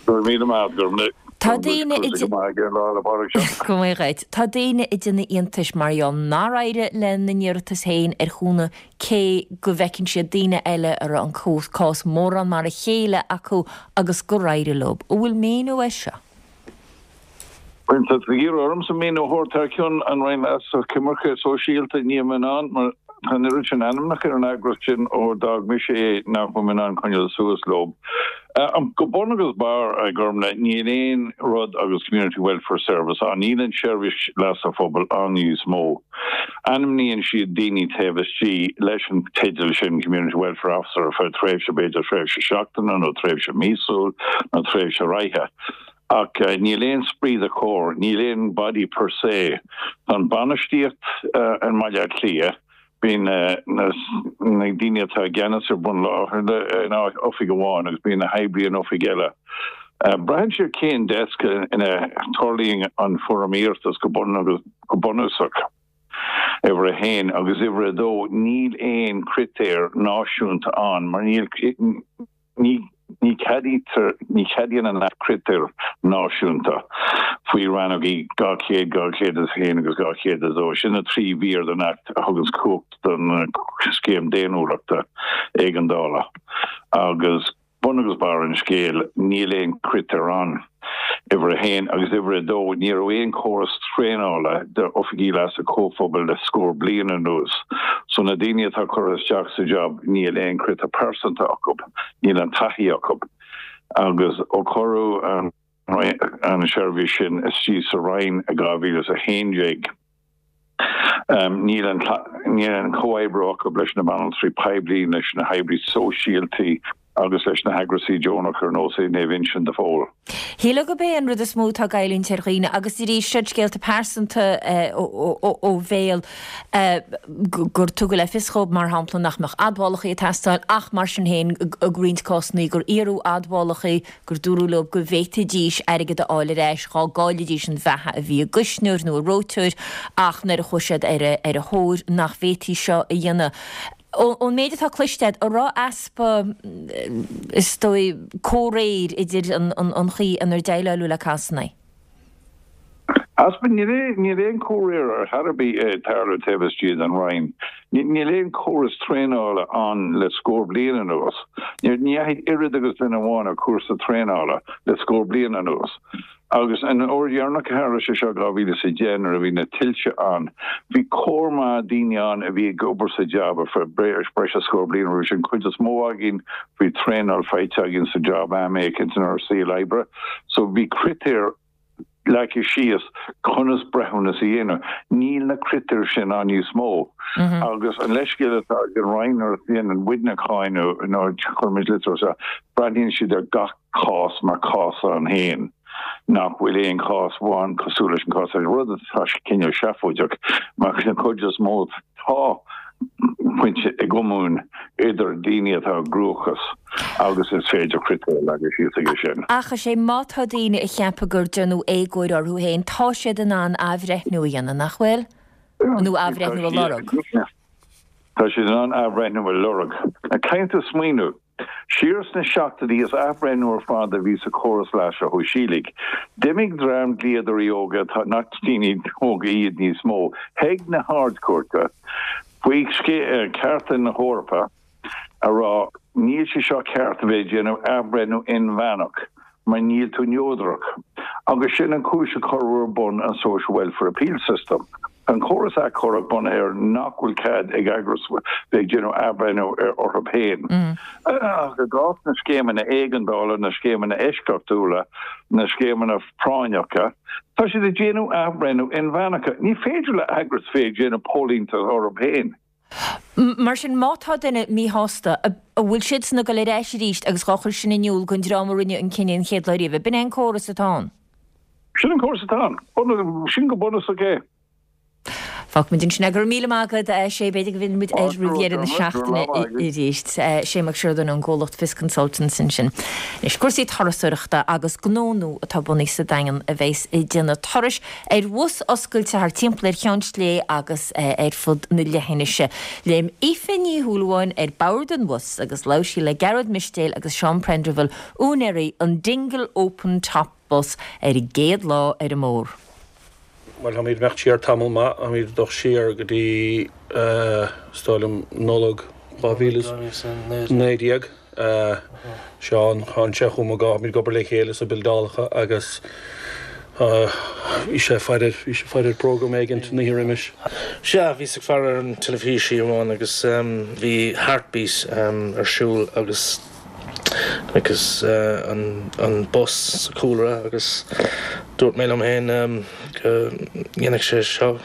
Go raibh míle maith agat, go raibh Tá daoine ag Go maith dhuit. Tá daoine ag déanamh iontais mar gheall nár éirigh lena n-iarratas féin ar chúnamh cé go bhfeiceann siad daoine eile a raibh an cás mórán mar a chéile acu agus gur éirigh leo. An bhfuil míniú air seo? Bhuel, tá tú ag iarraidh ormsa míniú a thabhairt thar ceann an Roinn Leasa Coimirce Sóisialta, níl mé in ann mar Tá an oiread sin ainmneacha ar an eagras sin ó d'fhág mise é nach bhfuil mé in ann coinneáil suas leo. Go bun agus barr, a Ghormfhlaith, níl aon rud agus Community Welfare Service ann. Níl an tSeirbhís Leasa Phobail ann níos mó. Ainmníonn siad daoine taobh istigh leis an teideal sin Community Welfare Officer ar feadh tréimhse, b'fhéidir tréimhse seachtaine nó tréimhse míosúil nó tréimhse ráithe. Ach níl aon esprit de corps, níl aon body per se. Tá an bainistíocht i mBaile Átha Cliath, bíonn na daoine atá i gceannas ar bun láthair in oifig amháin agus bíonn na hoibrithe in oifig eile. Braitheann sé ar cén desk ina dtarlaíonn an foirm iarratais go bunúsach. Uimhir a haon agus uimhir a dó, níl aon critéir náisiúnta ann mar níl Ní ní cheadaítear, ní cheadaíonn an Acht critéir náisiúnta faoi rannógaí dhá chéad, dhá chéad is a haon agus dhá chéad a dó. Sin na trí mhír den Acht a thuganns cumhacht don Scéim Daonnúlachta Éigeandála. Agus bun agus barr an scéil, níl aon critéir ann. Uimhir a haon, agus uimhir a dó, ní raibh aon chóras traenála d'oifigigh leasa comhphobail le scór bliain anuas. So na daoine atá curtha isteach sa jab, níl aon critéir pearsanta acu, níl an taithí acu. Agus ó cuireadh an tseirbhís sin istigh sa Roinn i dhá mhíle is a haon déag, níl an níl an comhoibriú acu leis na banaltraí poiblí, leis na hoibrí sóisialta agus leis na heagrasaí deonacha ar nós Naomh Uinseann de Phól. Shílfeá gurb é an rud is mó atá ag goilliúint ar dhaoine, agus arís siad scéalta pearsanta ó bhéal, gur tugadh le fios dhóibh, mar shampla, nach mbeadh admhálacha ag teastáil ach mar sin féin i roinnt cásanna gur iarradh admhálacha, gur dúradh leo go bhféadfaidís airgead a fháil ar ais dhá gcaillfidís an bheatha a bhí a gcuisneoir nó a reoiteoir ach nuair a chuaigh siad ar a thóir nach bhféadfaí seo a dhéanamh. Ón méid atá cloiste agat, an raibh easpa, is dóigh, comhréir idir an chaoi inar déileáladh le cásanna? Easpa, níl aon chomhréir ar chor ar bith ag tarlú taobh istigh den Roinn. Níl aon chóras traenála ann le scór bliain anuas. Ní dheachaigh oiread agus duine amháin ar chúrsa traenála le scór bliain anuas. Agus an uair dheireanach a tharla sé seo, dhá mhíle is a deich, nuair a bhí na tuilte ann, bhí cór maith daoine ann a bhí ag obair sa jab ar feadh breis is scór bliain roimhe sin. Cuid is mó againn, bhí traenáil faighte againn sa jab am éicint inár saol oibre. So bhí critéir leagtha síos conas breithiúnas a dhéanamh. Níl na critéir sin ann níos mó. Agus an leithscéal atá ag an Roinn nuair a dhéanann muidne cáineadh nó cuirimid litir isteach, breathnaíonn siad ar gach cás mar chás ann féin, nach bhfuil aon chás amháin cosúil leis an gcás eile, rud atá cineál seafóideach mar den chuid is mó tá pointe i gcomún idir daoine atá i gcruachás agus is féidir critéir a leagadh síos aige sin. Ach is é má tá daoine a cheapadh gur déanadh éagóir orthu féin, tá siad in ann athbhreithniú a dhéanamh, nach bhfuil? Nó athbhreithniú a lorg. Tá siad in ann athbhreithniú a lorg. Caithfidh tú smaoineamh. Siar sna seachtóidí is athbhreithniú ar fad a bhí sa chóras leasa shóisialaigh. D'imigh dream dlíodóirí óga, atá nach daoine óga iad níos mó, chuig na hArd-Chúirte faoi chearta na hEorpa a rá níl sé seo ceart a bheith ag déanamh athbhreithniú inmheánach mar níl tú neodrach. Agus sin an chúis a cuireadh ar bun an Social Welfare Appeal System. Tá an córas achomhairc bunaithe ar nach bhfuil cead ag eagras bheith ag déanamh athbhreithniú ar orthu féin. Ach i gcás na scéimeanna éigeandála, na scéimeanna eisceachtúla, na scéimeanna práinneacha, tá siad ag déanamh athbhreithniú inmheánacha. Ní féidir le eagras bheith ag déanamh póilíneacht orthu féin. Mar sin, má tá duine míshásta, an bhfuil siadsan ag dul ar ais arís agus dhá chur sin in iúl don dream a rinne an cinneadh an chéad lá riamh? B'in é an córas atá ann. Sin an córas atá ann. Sin go bunúsach é. Fágfaimid ansin é. Go raibh míle maith agat, a Shé. B'fhéidir go bhfillfimid air roimh dheireadh na seachtaine arís. Sé Mac Siordáin ón gcomhlacht Fios Consultants ansin. Anois, cúrsaí turasóireachta agus gnó nua atá bunaithe sa Daingean a bheas ag déanamh turais ar bhus oscailte thar timpeall ar Cheann Sléibhe agus ar fud na leithinise. Léim Aoife Ní Shúilleabháin ar bord an bhus agus labhair sí le Gearóid Mistéil agus Seán Prendiville, úinéirí an Dingle Open Top Bus ar a gcéad lá ar an mbóthar. Bhuel, táimid ag imeacht siar tamall maith, táimid ag dul siar go dtí, is dóigh liom, Nollaig dhá mhíle is naoi déag. Seán, tháinig sé chugam, táimid ag obair le chéile sna bildeálacha agus Bhí sé ag faire, bhí sé ag faire program éigin an oíche roimis. Sea, bhíos ag faire ar an teilifís amháin agus bhí Heartbeat ar siúl agus agus an an bus sa chúlra agus dúirt mé liom féin go ndéanfadh sé seo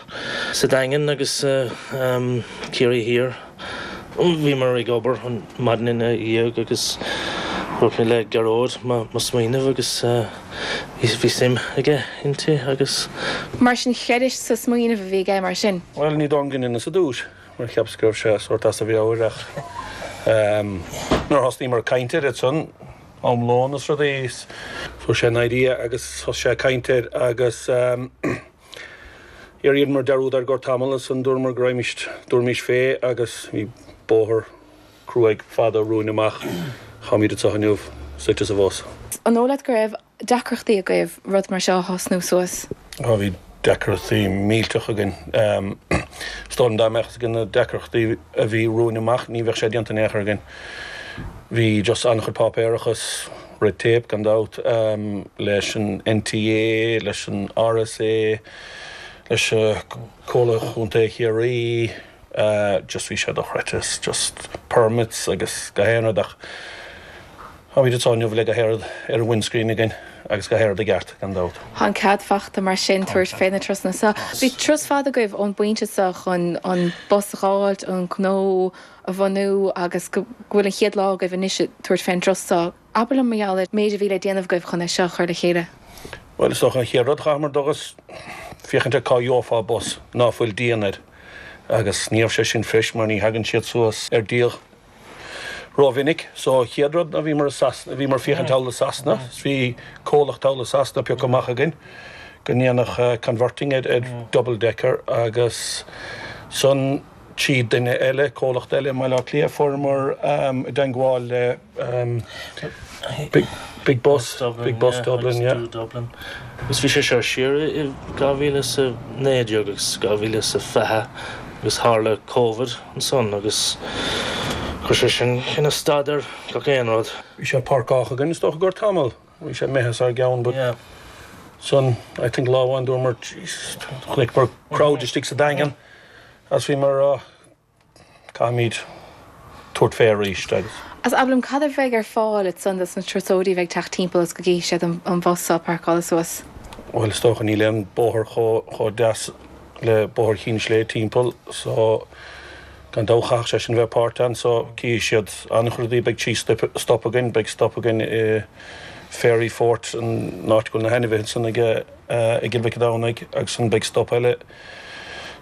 sa Daingean agus Ciarraí Thiar. Bhíomar ag obair an maidin ina dhiaidh agus dúirt mé le Gearóid mo smaoineamh agus bhí suim aige inti agus. Mar sin chreidis sa smaoineamh a bhí aige mar sin? Bhuel, ní dóigh liom sa dtús mar cheapas go raibh sé sórt as a mheabhair ach nuair a thosnaíomar ag caint air ansan, am lóin is rudaí, fuair sé an idea agus thosaigh sé ag caint air agus Dheineamar dearúd air i gcomhair tamall ansan dúramar go raghaimist, dúraimís fé agus bhí bóthar cruaidh fada romhainn amach. Táimid anseo inniu, suite sa bhus. An dóigh leat go raibh deacrachtaí agaibh rud mar seo a thosnú suas? Á bhí deacrachtaí millteach againn. Is dóigh liom dá mbeadh fhios againn na deacrachtaí a bhí romhainn amach ní bheadh sé déanta in aon chor againn. Bhí just an-chuid páipéarachas, red tape gan dabht, leis an NTA, leis an RSA, leis Comhairle Chontae Chiarraí, just bhí sé dochreidte, just permits agus gach aon rud ach táimid anseo inniu le gach aon rud ar an windscreen againn agus gach aon rud i gceart gan dabht. Tá an cead fachta mar sin tabhairt fé na turasanna seo. Bhí turas fada agaibh ón bpointe seo chun an bus a dh'fháilt, an gnó a bhunú agus go bhfuil an chéad lá agaibh anois ag tabhairt fén dturas seo. Abair liom mar gheall ar méid a bhí le déanamh agaibh chun é seo a chur le chéile. Bhuel, is dócha an chéad rud a chaitheamar dul agus féachaint ar cá gheofá bus ná fuil díon air agus ní raibh sé sin fuirist mar ní thagann siad suas ar díol rómhinic. So an chéad rud ná bhíomar i Sasana, bhíomar féachaint thall i Sasana, is bhí comhlacht thall i Sasana pioctha amach againn go ndéanfadh converting ar ar double decker agus san trí duine eile, comhlacht eile i mBaile Átha Cliath, fuaireamar i dteangmháil le Big Big Bus, Big Bus Dublin, yeah. Dublin. Agus bhí sé seo siar i dhá mhíle is a naoi déag agus dhá mhíle is a fiche agus tharla Covid ansan agus chuir sé sin ina stad ar gach aon rud. Bhí sé páirceáilte againn is dócha i gcomhair tamall. Bhí sé imithe as ár gceann but san I think lá amháin dúramar Jesus chonaiceamar crowd istigh sa Daingean Agus bhíomar a rá, caithfimid tabhairt fé arís agus. Agus abair liom, cad a bheidh ar fáil ansan dos na turasóirí a bheidh ag teacht timpeall agus go gcífidh siad an bhus seo páirceáilte suas? Bhuel, is dócha níl aon bóthar chomh deas le Bóthar Chinn Sléibhe timpeall so gan dabht chaithfeadh sé sin bheith páirt ann so cífidh siad an-chuid rudaí, beidh trí stop againn, beidh stop againn i Fairy Fort, an áit go bhfuil na hainmhithe ansan ag i gCill Mhic an Domhnaigh agus ansan beidh stop eile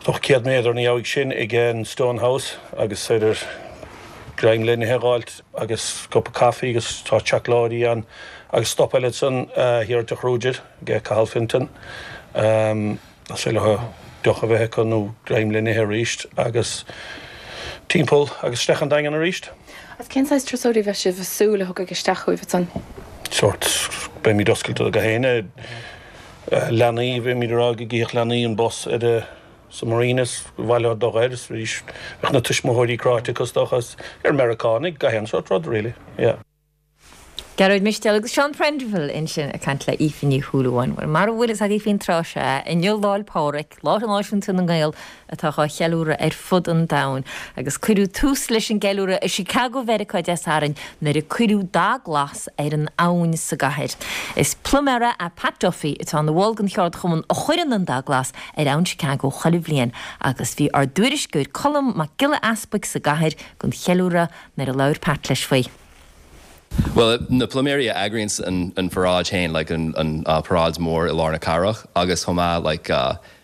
dócha céad méadar ina dhiaidh sin ag an Stone House agus féidir greim le n-ithe a dh'fháilt agus cupa caife agus tá seacláidí ann agus stop eile ansan thiar i dTeach Rúidir ag Cathal Fintan is féidir leo deoch a bheith acu nó greim le n-ithe arís agus timpeall agus isteach an Daingean arís. Agus cén saghas turasóirí a bheidh sibh ag súil a thiocfaidh isteach chugaibh ansan? Sórt, beimid oscailte do gach éinne. Leanaí, beimid ag rá go gcífeadh leanaí an bus ar a sa marina is ba mhaith leo dul air is arís bheadh na tuismitheoirí cráite acu is dócha is ar Meiriceánaigh gach aon sórt rud really, yeah. Gearóid Mistéil agus Seán Prendiville ansin ag caint le Aoife Ní Shúilleabháin. Bhuel, mara bhfuil fhios agaibh faoin tráth seo, inniu Lá 'le Pádraig, Lá Náisiúnta na nGael atá á cheiliúradh ar fud an domhain. Agus cuireadh tús leis an gceiliúradh i Chicago Mheiriceá Dé Sathairn nuair a cuireadh dath glas ar an abhainn sa gcathair. Is pluiméara é Pat Duffy atá ina bhall den cheardchumann a chuireann an dath glas ar abhainn Chicago chuile bhliain agus bhí ár dtuairisceoir Colm Mac Giolla Easpaig sa gcathair don cheiliúradh nuair a labhair Pat leis faoi. Bhuel, na pluiméirí a eagraíonns an an pharáid féin, like an an paráid mór i lár na cathrach agus chomh maith like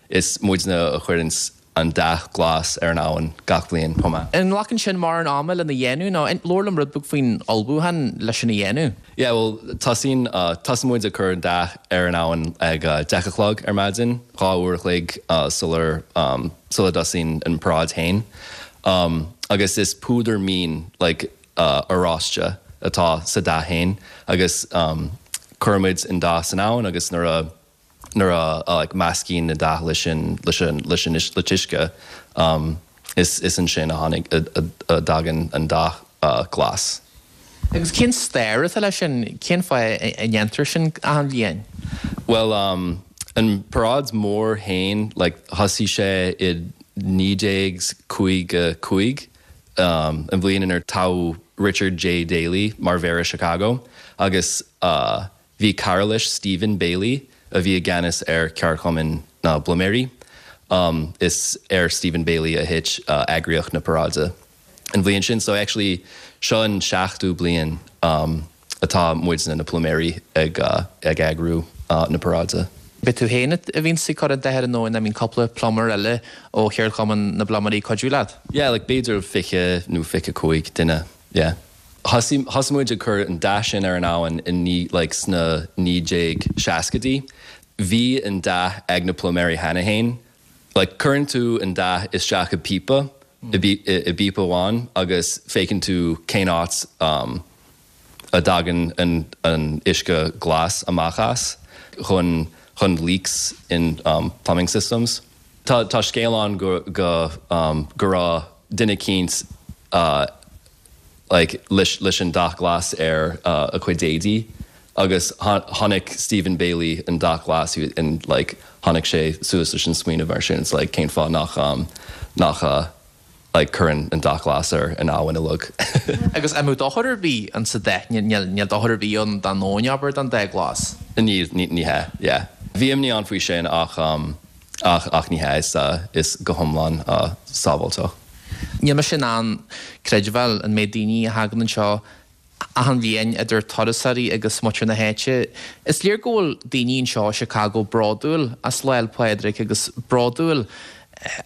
is muidne a chuireanns an dath glas ar an abhainn gach bliain chomh maith. An nglacann sin mórán ama lena dhéanamh nó labhair liom rud beag faoin ullmhúchán leis sin a dhéanamh? Yeah, bhuel tosaíonn tosaíonn muid ag cur an dath ar an abhainn ag deich a chlog ar maidin, dhá uair a chloig sular sula dtosaíonn an paráid féin. Agus is púdar mín like oráiste atá sa dath féin agus cuirimid an dath san abhainn agus nuair a nuair a like meascaíonn an dath leis an leis an leis an le t-uisce is is ansin a tháinig a dtagann an dath glas. Agus cén stair atá leis sin? Cén fáth a ndéantar sin achan bhliain? Bhuel An paráid mór féin like thosaigh sé i naoi déag cúig cúig um, an bhliain inar toghadh Richard J. Daley mar mhéara Chicago agus uh, bhí cara leis Stephen Bailey a bhí i gceannas ar cheardchumann na bpluiméirí. Um, is ar Stephen Bailey a thit uh, eagraíocht na paráide. An bhliain sin so actually seo an seachtú bliain um, atá muidne na pluiméirí ag, uh, ag eagrú uh, na paráide. Ab tú féin a bhíonn ag cur an dath air nó an mbíonn cúpla plumber eile ó cheardchumann na bpluiméirí ag cuidiú leat? Yeah, like b'fhéidir fiche nó fiche cúig duine. Yeah. Thosaigh muid ag cur an dath sin ar an abhainn in ní like sna naoi déag seascaidí. Bhí an dath ag na pluiméirí cheana féin. Like cuireann tú an dath isteach i píopa i bpíopa amháin agus féachann tú cén áit um, a dtagann an, an uisce glas amach as chun chun leaks in um, plumbing systems. Tá, tá scéal ann go, go, um, go raibh duine eicínt uh, like, leis, leis an dath glas ar uh, a chuid éadaí agus chonaic Stephen Bailey an dath glas in like, tháinig sé suas leis an smaoineamh mar sin it's like, cén fáth nach um, nach uh, like, cuireann an dath glas ar an abhainn uilig. Agus an mbeadh dochar ar bith an sa dath níl dochar ar bith ann don abhainn abair don dath glas. Ní ní hea, yeah. Bhí imní ann faoi sin ach um, ach ach ní hea is, uh, is go hiomlán uh, sábháilte. Níl mise in ann creidbheáil an méid daoine a thagann anseo achan bhliain idir turasóirí agus muintir na háite. Is léir go bhfuil daoine anseo i Chicago bródúil as Lá 'le Pádraig agus bródúil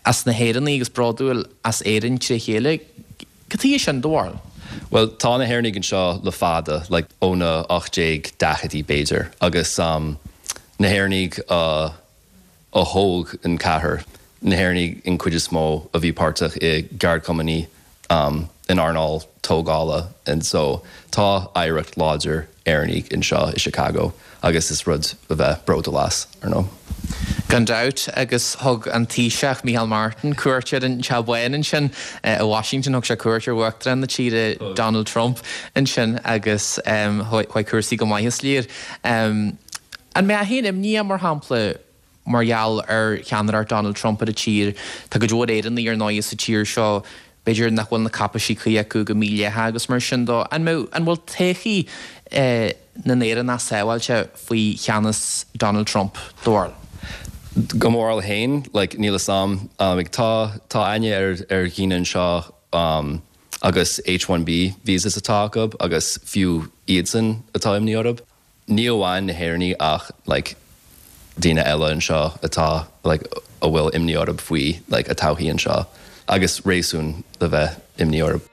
as na hÉireannaigh agus bródúil as Éirinn trí chéile. Cad chuige sin do bharúil? Well tá na hÉireannaigh anseo le fada, like, ó na ocht déag daicheadaí b'fhéidir, agus um, na hÉireannaigh uh, a thóg an cathair, na hÉireannaigh an chuid is mó a bhí páirteach i gceardchumainn um, in earnáil tógála and so tá oidhreacht láidir Éireannaigh anseo i Chicago agus is rud a bheith bródúil as ar ndóigh. Gan dabht agus thug an Taoiseach Micheál Martin cuairt ar an Teach Bán ansin i Washington thug sé cuairt ar Uachtarán na tíre Donald Trump ansin agus chuaigh cúrsaí go maith is léir. An mbeadh aon imní mar shampla mar gheall ar cheannaireacht Donald Trump ar an tír, Tá go leor Éireannaigh ar ndóigh sa tír seo b'fhéidir nach bhfuil na cáipéisí cuí acu go mídhleathach agus mar sin dó. An an bhfuil todhchaí na nÉireannach sábháilte faoi cheannas Donald Trump do bharúil? Go mór féin, like, níl a fhios agam um, tá tá aithne ar ar dhaoine anseo um, agus H one B visas atá acu agus fiú iadsan atá imní orthu. Ní amháin na hÉireannaigh ach like, daoine eile anseo atá like, a bhfuil imní orthu faoi like, a todhchaí anseo agus réasún le bheith imní orthu.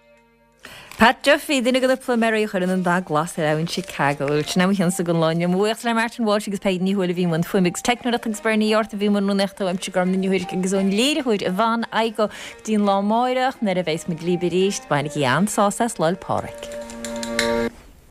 Pat Duffy duine de na pluiméirí a chuireann an dath glas ar abhainn Chicago. Sin é an don lá. Buíochas le Martin Walsh agus Peig Ní Thuathail a bhí i mbun fuaime agus teicneoireachta agus Bernie York a bhí i mbun rúnaíochta uaimse Gormfhlaith Ní Thuairisg agus ón léiritheoir Yvonne Igoe go dtí an lá amárach nuair a bheas muid libh arís, bainigí an-sásamh as Lá 'le Pádraig.